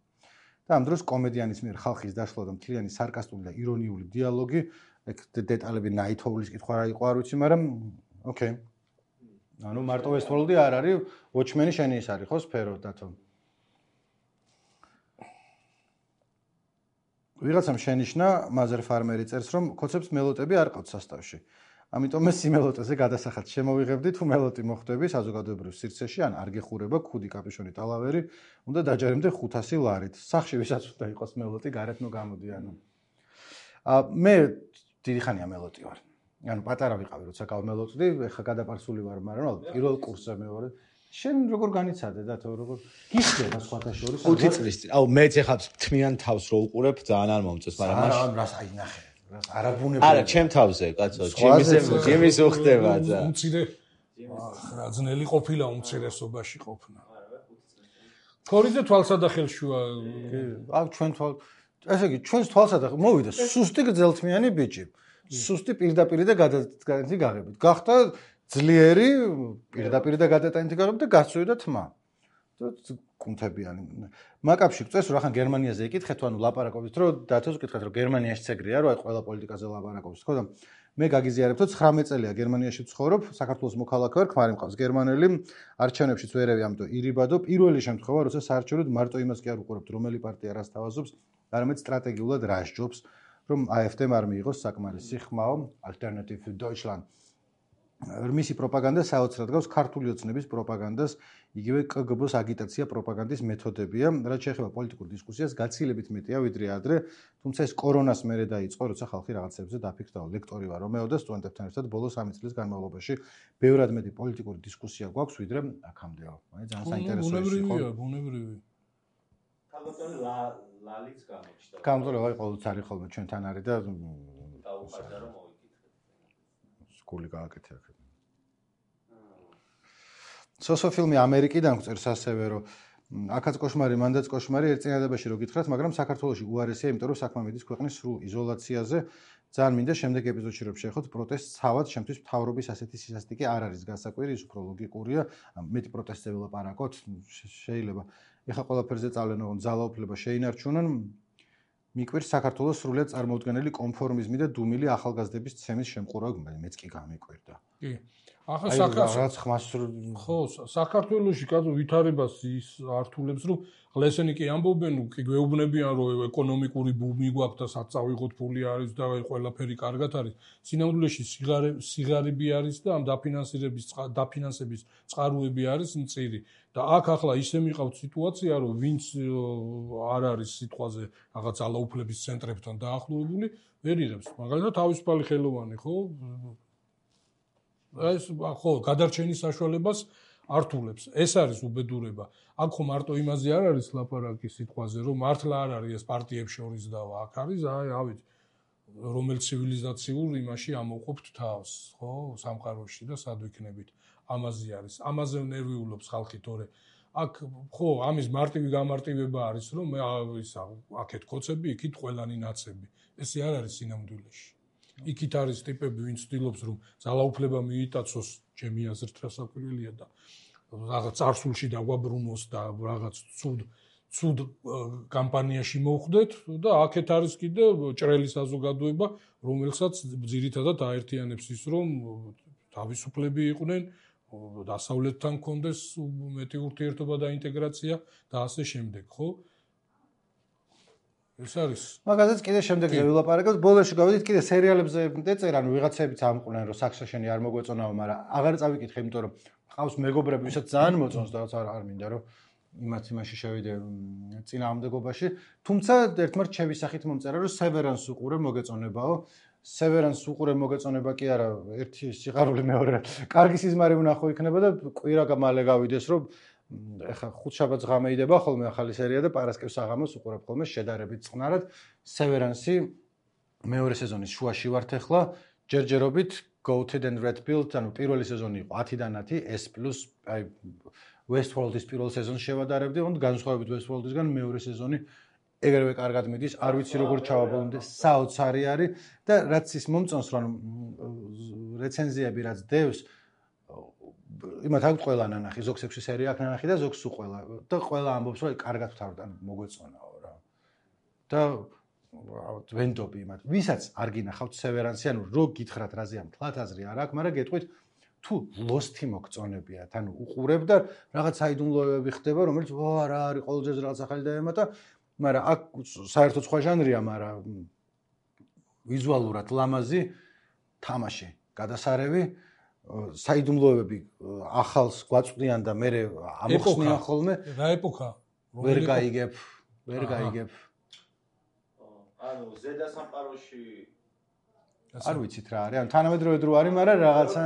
და ამ დროს კომედიანის მიერ ხალხის დაშლა და მთლიანი სარკასტული და ირონიული დიალოგი, ეგ დეტალები ნაითოვლის კითხვა რა იყო არ ვიცი, მაგრამ ოკეი. ანუ მარტო Westworld-ი არ არის, Watchmen-ი შენი ის არის ხო სფერო დათო. ვიღაცამ შენიშნა მაზერ ფარმერი წერს, რომ კოცებს მელოტები არ ყავთ სასტავში. ამიტომ ეს სიმელოტეზე გადასახად შემოვიღებდი, თუ მელოტი მოხვდები საზოგადოებრივ სივრცეში, ან არ გეხურება ქუდი კაპიშონი ტალავერი, უნდა დაჯერემდე ხუთასი ლარით. სახში ვისაც უნდა იყოს მელოტი, გარეთ ნუ გამოდი ანუ. აა მე დიდი ხანია მელოტი ვარ. ანუ პატარა ვიყავი, როცა გავმელოტდი, ეხა გადაპარსული ვარ, მაგრამ ალბათ პირველ კურსზე მეორე. შენ როგორ განიცადე და თუ როგორ გიხდება სხვათა შორის? ხუთი წლის წინ. აუ მეც ეხლა თმიან თავს რო უყურებ, ძალიან არ მომწონს, მაგრამ მაშინ არა, რას აი ნახე. არაბუნები. არა, ჩემ თავზე, კაცო, ჯიმისე, ჯიმის უხდება და. უმცირე რა ძნელი ყოფილა უმცირესობაში ყოფნა. ქორიძე თვალსადახელშუა. აქ ჩვენ თვალ ესე იგი ჩვენს თვალსადახელ მოვიდა სუსტი გრძელთმიანი ბიჭი. სუსტი პირდაპირ და გადატანითი გაღებით. გახდა ძლიერი პირდაპირ და გადატანითი გაღებით და გასწვიდა თმა. და კუნთებიანი. მაკაფში გწევს რომ ახან გერმანიაზე იკითხეთ, ანუ ლაპარაკობთ, რომ დათოს გკითხეთ, რომ გერმანიაში ეგრეა, რომ აი ყველა პოლიტიკაზე ლაპარაკობს, ხო და მე გაგიზიარებ, რომ ცხრამეტ წელია გერმანიაში ვცხოვრობ, საქართველოს მოქალაქე ვარ, ქმარი მყავს გერმანელი, არჩევნებშიც ვერევი, ამიტომ ირიბადო, პირველი შემთხვევა, როცა საარჩევნოდ მარტო იმას კი არ უყურებთ, რომელი პარტია რას თავაზობს, არამედ სტრატეგიულად რას ჯობს, რომ AfD-მ არ მიიღოს საკმარისი ხმაო, Alternative für Deutschland. მისი პროპაგანდა საოცრად გავს ქართული ოცნების პროპაგანდას, იგივე კგბ-ს აგიტაცია პროპაგანდის მეთოდებია, რაც შეეხება პოლიტიკურ დისკუსიას, გაცილებით მეტია ვიდრე ადრე, თუმცა ეს კორონას მერე დაიწყო, როცა ხალხი რაღაცებზე დაფიქრდა. ლექტორი ვარ რომეო და სტუდენტებთან ერთად ბოლო სამი წლის განმავლობაში ბევრად მეტი პოლიტიკური დისკუსია გვაქვს ვიდრე აქამდეო. აი ძალიან საინტერესოა ის იყო. ბუნებრივია, ბუნებრივია. თავგადასავლე ლალიც გამოჩნდა. გამწოლე ვარ ყოველთვის არის ხოლმე ჩვენთან არის და დაუყარდა რომ მოვიკითხეთ. სკული გააკეთე აქ. სოსო ფილმი ამერიკიდან გვწერს ასევე რომ აქაც კოშმარი, მანდაც კოშმარი ერთწინადებაში რო გითხრათ, მაგრამ საქართველოში უარესია, იმიტომ რომ საქმე მიდის ქვეყნის სრულ იზოლაციაზე. ძალიან მინდა შემდეგ ეპიზოდში რომ შეხოთ პროტესტს თავად, შემთთვის მთავრობის ასეთი სისასტიკე არ არის გასაკვირი, ის უფრო ლოგიკურია. მეტი პროტესტზე ვილაპარაკოთ, შეიძლება. ეხლა ყველაფერზე წავლენ ოღონდ ძალაუფლება შეინარჩუნონ. მიკვირს საქართველოს სრულიად წარმოუდგენელი კონფორმიზმი და დუმილი ახალგაზრდების ცემის შემყურავება, მეც კი გამიკვირდა. კი. ახლა საქართველოს ხმას ხო საქართველოში კაცო ვითარებას ის ართულებს რომ ღლესენი კი ამბობენ კი გვეუბნებიან რომ ეკონომიკური ბუმი გვაქვს და საწავიღოთ ფული არის და ყველაფერი კარგად არის სინამდვილეში სიგარე სიგარები არის და ამ დაფინანსირების დაფინანსების წყაროები არის მწირი და აქ ახლა ისე მიყავთ სიტუაცია რომ ვინც არ არის სიტყვაზე რაღაც ძალაუფლების ცენტრებთან დაახლოებული ვერ იღებს მაგალითად თავისუფალი ხელოვანი ხო ეს ხო გადარჩენის საშუალებას ართულებს. ეს არის უბედურება. აქ ხო მარტო იმაზე არ არის ლაპარაკი სიტყვაზე, რომ მართლა არ არის ეს პარტიებს შორის დავა. აქ არის აი, ავით, რომელ ცივილიზაციურ იმაში ამოვყოფთ თავს, ხო, სამყაროში და სად ვიქნებით. ამაზე არის. ამაზე ნერვიულობს ხალხი, თორე აქ ხო ამის მარტივი გამარტივება არის რომ მე ისა აქეთ კოცები იქით ყველანი ნაცები ესე არ არის სინამდვილეში იქით არის ტიპები ვინც ცდილობს რომ ძალაუფლება მიიტაცოს ჩემი აზრით რასაკვირველია და რაღაც წარსულში დაგვაბრუნოს და რაღაც ცუდ ცუდ კამპანიაში მოხვდეთ და აქეთ არის კიდე ჭრელი საზოგადოება რომელსაც ძირითადად აერთიანებს ის რომ თავისუფლები იყვნენ დასავლეთთან კონდეს მეტი ურთიერთობა და ინტეგრაცია და ასე შემდეგ, ხო? ეს არის. მაგაზეც კიდე შემდეგზე ვილაპარაკებთ, ბოლოში გავიდით კიდე სერიალებზე ეწერა, ანუ ვიღაცებიც ამყვნენ, რომ საქსაშენი არ მოგვეწონაო, მაგრამ აღარ წავიკითხე, იმიტომ რომ ყავს მეგობრები, ვისაც ძალიან მოწონს და არ არ მინდა რომ იმათ იმაში შევიდე წინააღმდეგობაში, თუმცა ერთმართ ჩემი სახით მომწერა, რომ სევერანს უყურე მოგეწონებაო. სევერანს უყურე მოგეწონება კი არა, ერთი სიყვარული მეორე. კარგი სიზმარი ვნახო იქნება და კვირა მალე გავიდეს, რომ ეხა ხუთშაბათს ღამეიდება ხოლმე ახალი სერია და პარასკევს საღამოს უყურებ ხოლმე შედარებით წყნარად. სევერანსი მეორე სეზონის შუაში ვართ ახლა, ჯერჯერობით Goated and Red Pilled, ანუ პირველი სეზონი იყო ათიდან ათი, S plus აი Westworld-ის პირველ სეზონს შევადარებდი, თუმცა განსხვავებით Westworld-ისგან მეორე სეზონი ეგრევე კარგად მიდის, არ ვიცი როგორ ჩავაბოლომდე, საოცარი არის და რაც ის მომწონს, რომ რეცენზიები რაც დევს, იმათ აქვს ყველა ნანახი, ზოგს ექვსი სერია აქვს ნანახი და ზოგს უყველა და ყველა ამბობს, რომ კარგად ვთავრდა, მოგვეწონაო რა. და ვენდობი იმათ, ვისაც არ გინახავთ სევერანსი, ანუ რო გითხრათ რაზე ამ თლათ აზრი არ აქვს, მაგრამ გეტყვით თუ ლოსთი მოგწონებიათ, ანუ უყურებ და რაღაც საიდუმლოებები ხდება, რომელიც ვა რა არის ყოველდღე რაღაც ახალი და ემატა, მაგრამ აქ საერთოდ სხვა ჟანრია, მაგრამ ვიზუალურად ლამაზი თამაში, გადასარევი, საიდუმლოებები ახალს გვაწვდიან და მე ამოხსნიან ხოლმე. რა ეპოქა? ვერ გაიგებ, ვერ გაიგებ. ანუ ზედა სამყაროში არ ვიცით რა არის, ანუ თანამედროვე დრო არის, მაგრამ რაღაცა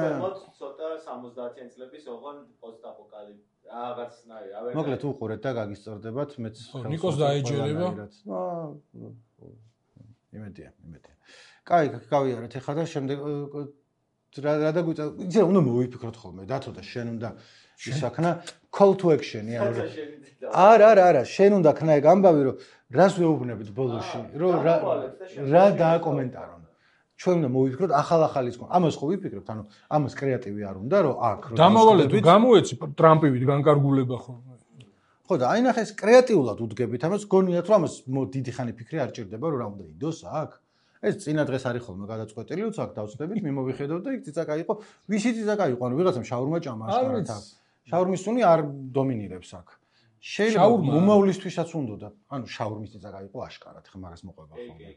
ცოტა სამოცდაათიან წლების ოღონ პოსტაპოკალიფსი რაღაცნაირი, რავი. მოკლედ უყურეთ და გაგისწორდებათ, მეც ნიკოს დაეჯერება. იმედია, იმედია. კაი, გავიარეთ ახლა და შემდეგ რა რა დაგვიწა, იცი რა უნდა მოვიფიქროთ ხოლმე, დათო და შენ უნდა ისაქნა call to action-ი ანუ. არა, არა, არა, შენ უნდა ქნა ეგ ამბავი, რომ რას ვეუბნებით ბოლოში, რომ რა რა დააკომენტარონ. ჩვენ უნდა მოვიფიქროთ ახალ-ახალის კონ. ამას ხო ვიფიქრებთ, ანუ ამას კრეატივი არ უნდა, რომ აქ რომ დამავალე თუ გამოეცი ტრამპივით განკარგულება ხოლმე. ხო და აი ნახე ეს კრეატიულად უდგებით ამას, გონიათ რომ ამას დიდი ხანი ფიქრი არ ჭირდება, რომ რა უნდა იდოს აქ. ეს წინა დღეს არის ხოლმე გადაწყვეტილი, უც აქ დავწდებით, მიმოვიხედოთ და იქ ციცაკა იყო. ვისი ციცაკა იყო? ანუ ვიღაცამ შაურმა ჭამა ასკარად აქ. შაურმის სუნი არ დომინირებს აქ. შეიძლება უმოვლისთვისაც უნდოდა. ანუ შაურმის ციცაკა იყო აშკარად, ხა მაგას მოყვება ხოლმე.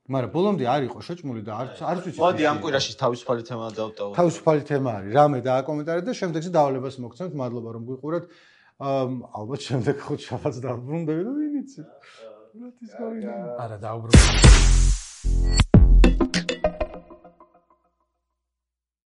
მაგრამ ბოლომდე არ იყო შეჭმული და არც არც ვიცი. მოდი ამ კვირაში თავისუფალი თემა დავტოვოთ. თავისუფალი თემა არის. რამე დააკომენტარეთ და შემდეგზე დავალებას მოგცემთ. მადლობა რომ გვიყურეთ. ალბათ შემდეგ ხუთშაბათს დავბრუნდები და ვინ იცი. რა ის გავინა. არა დაუბრუნდები.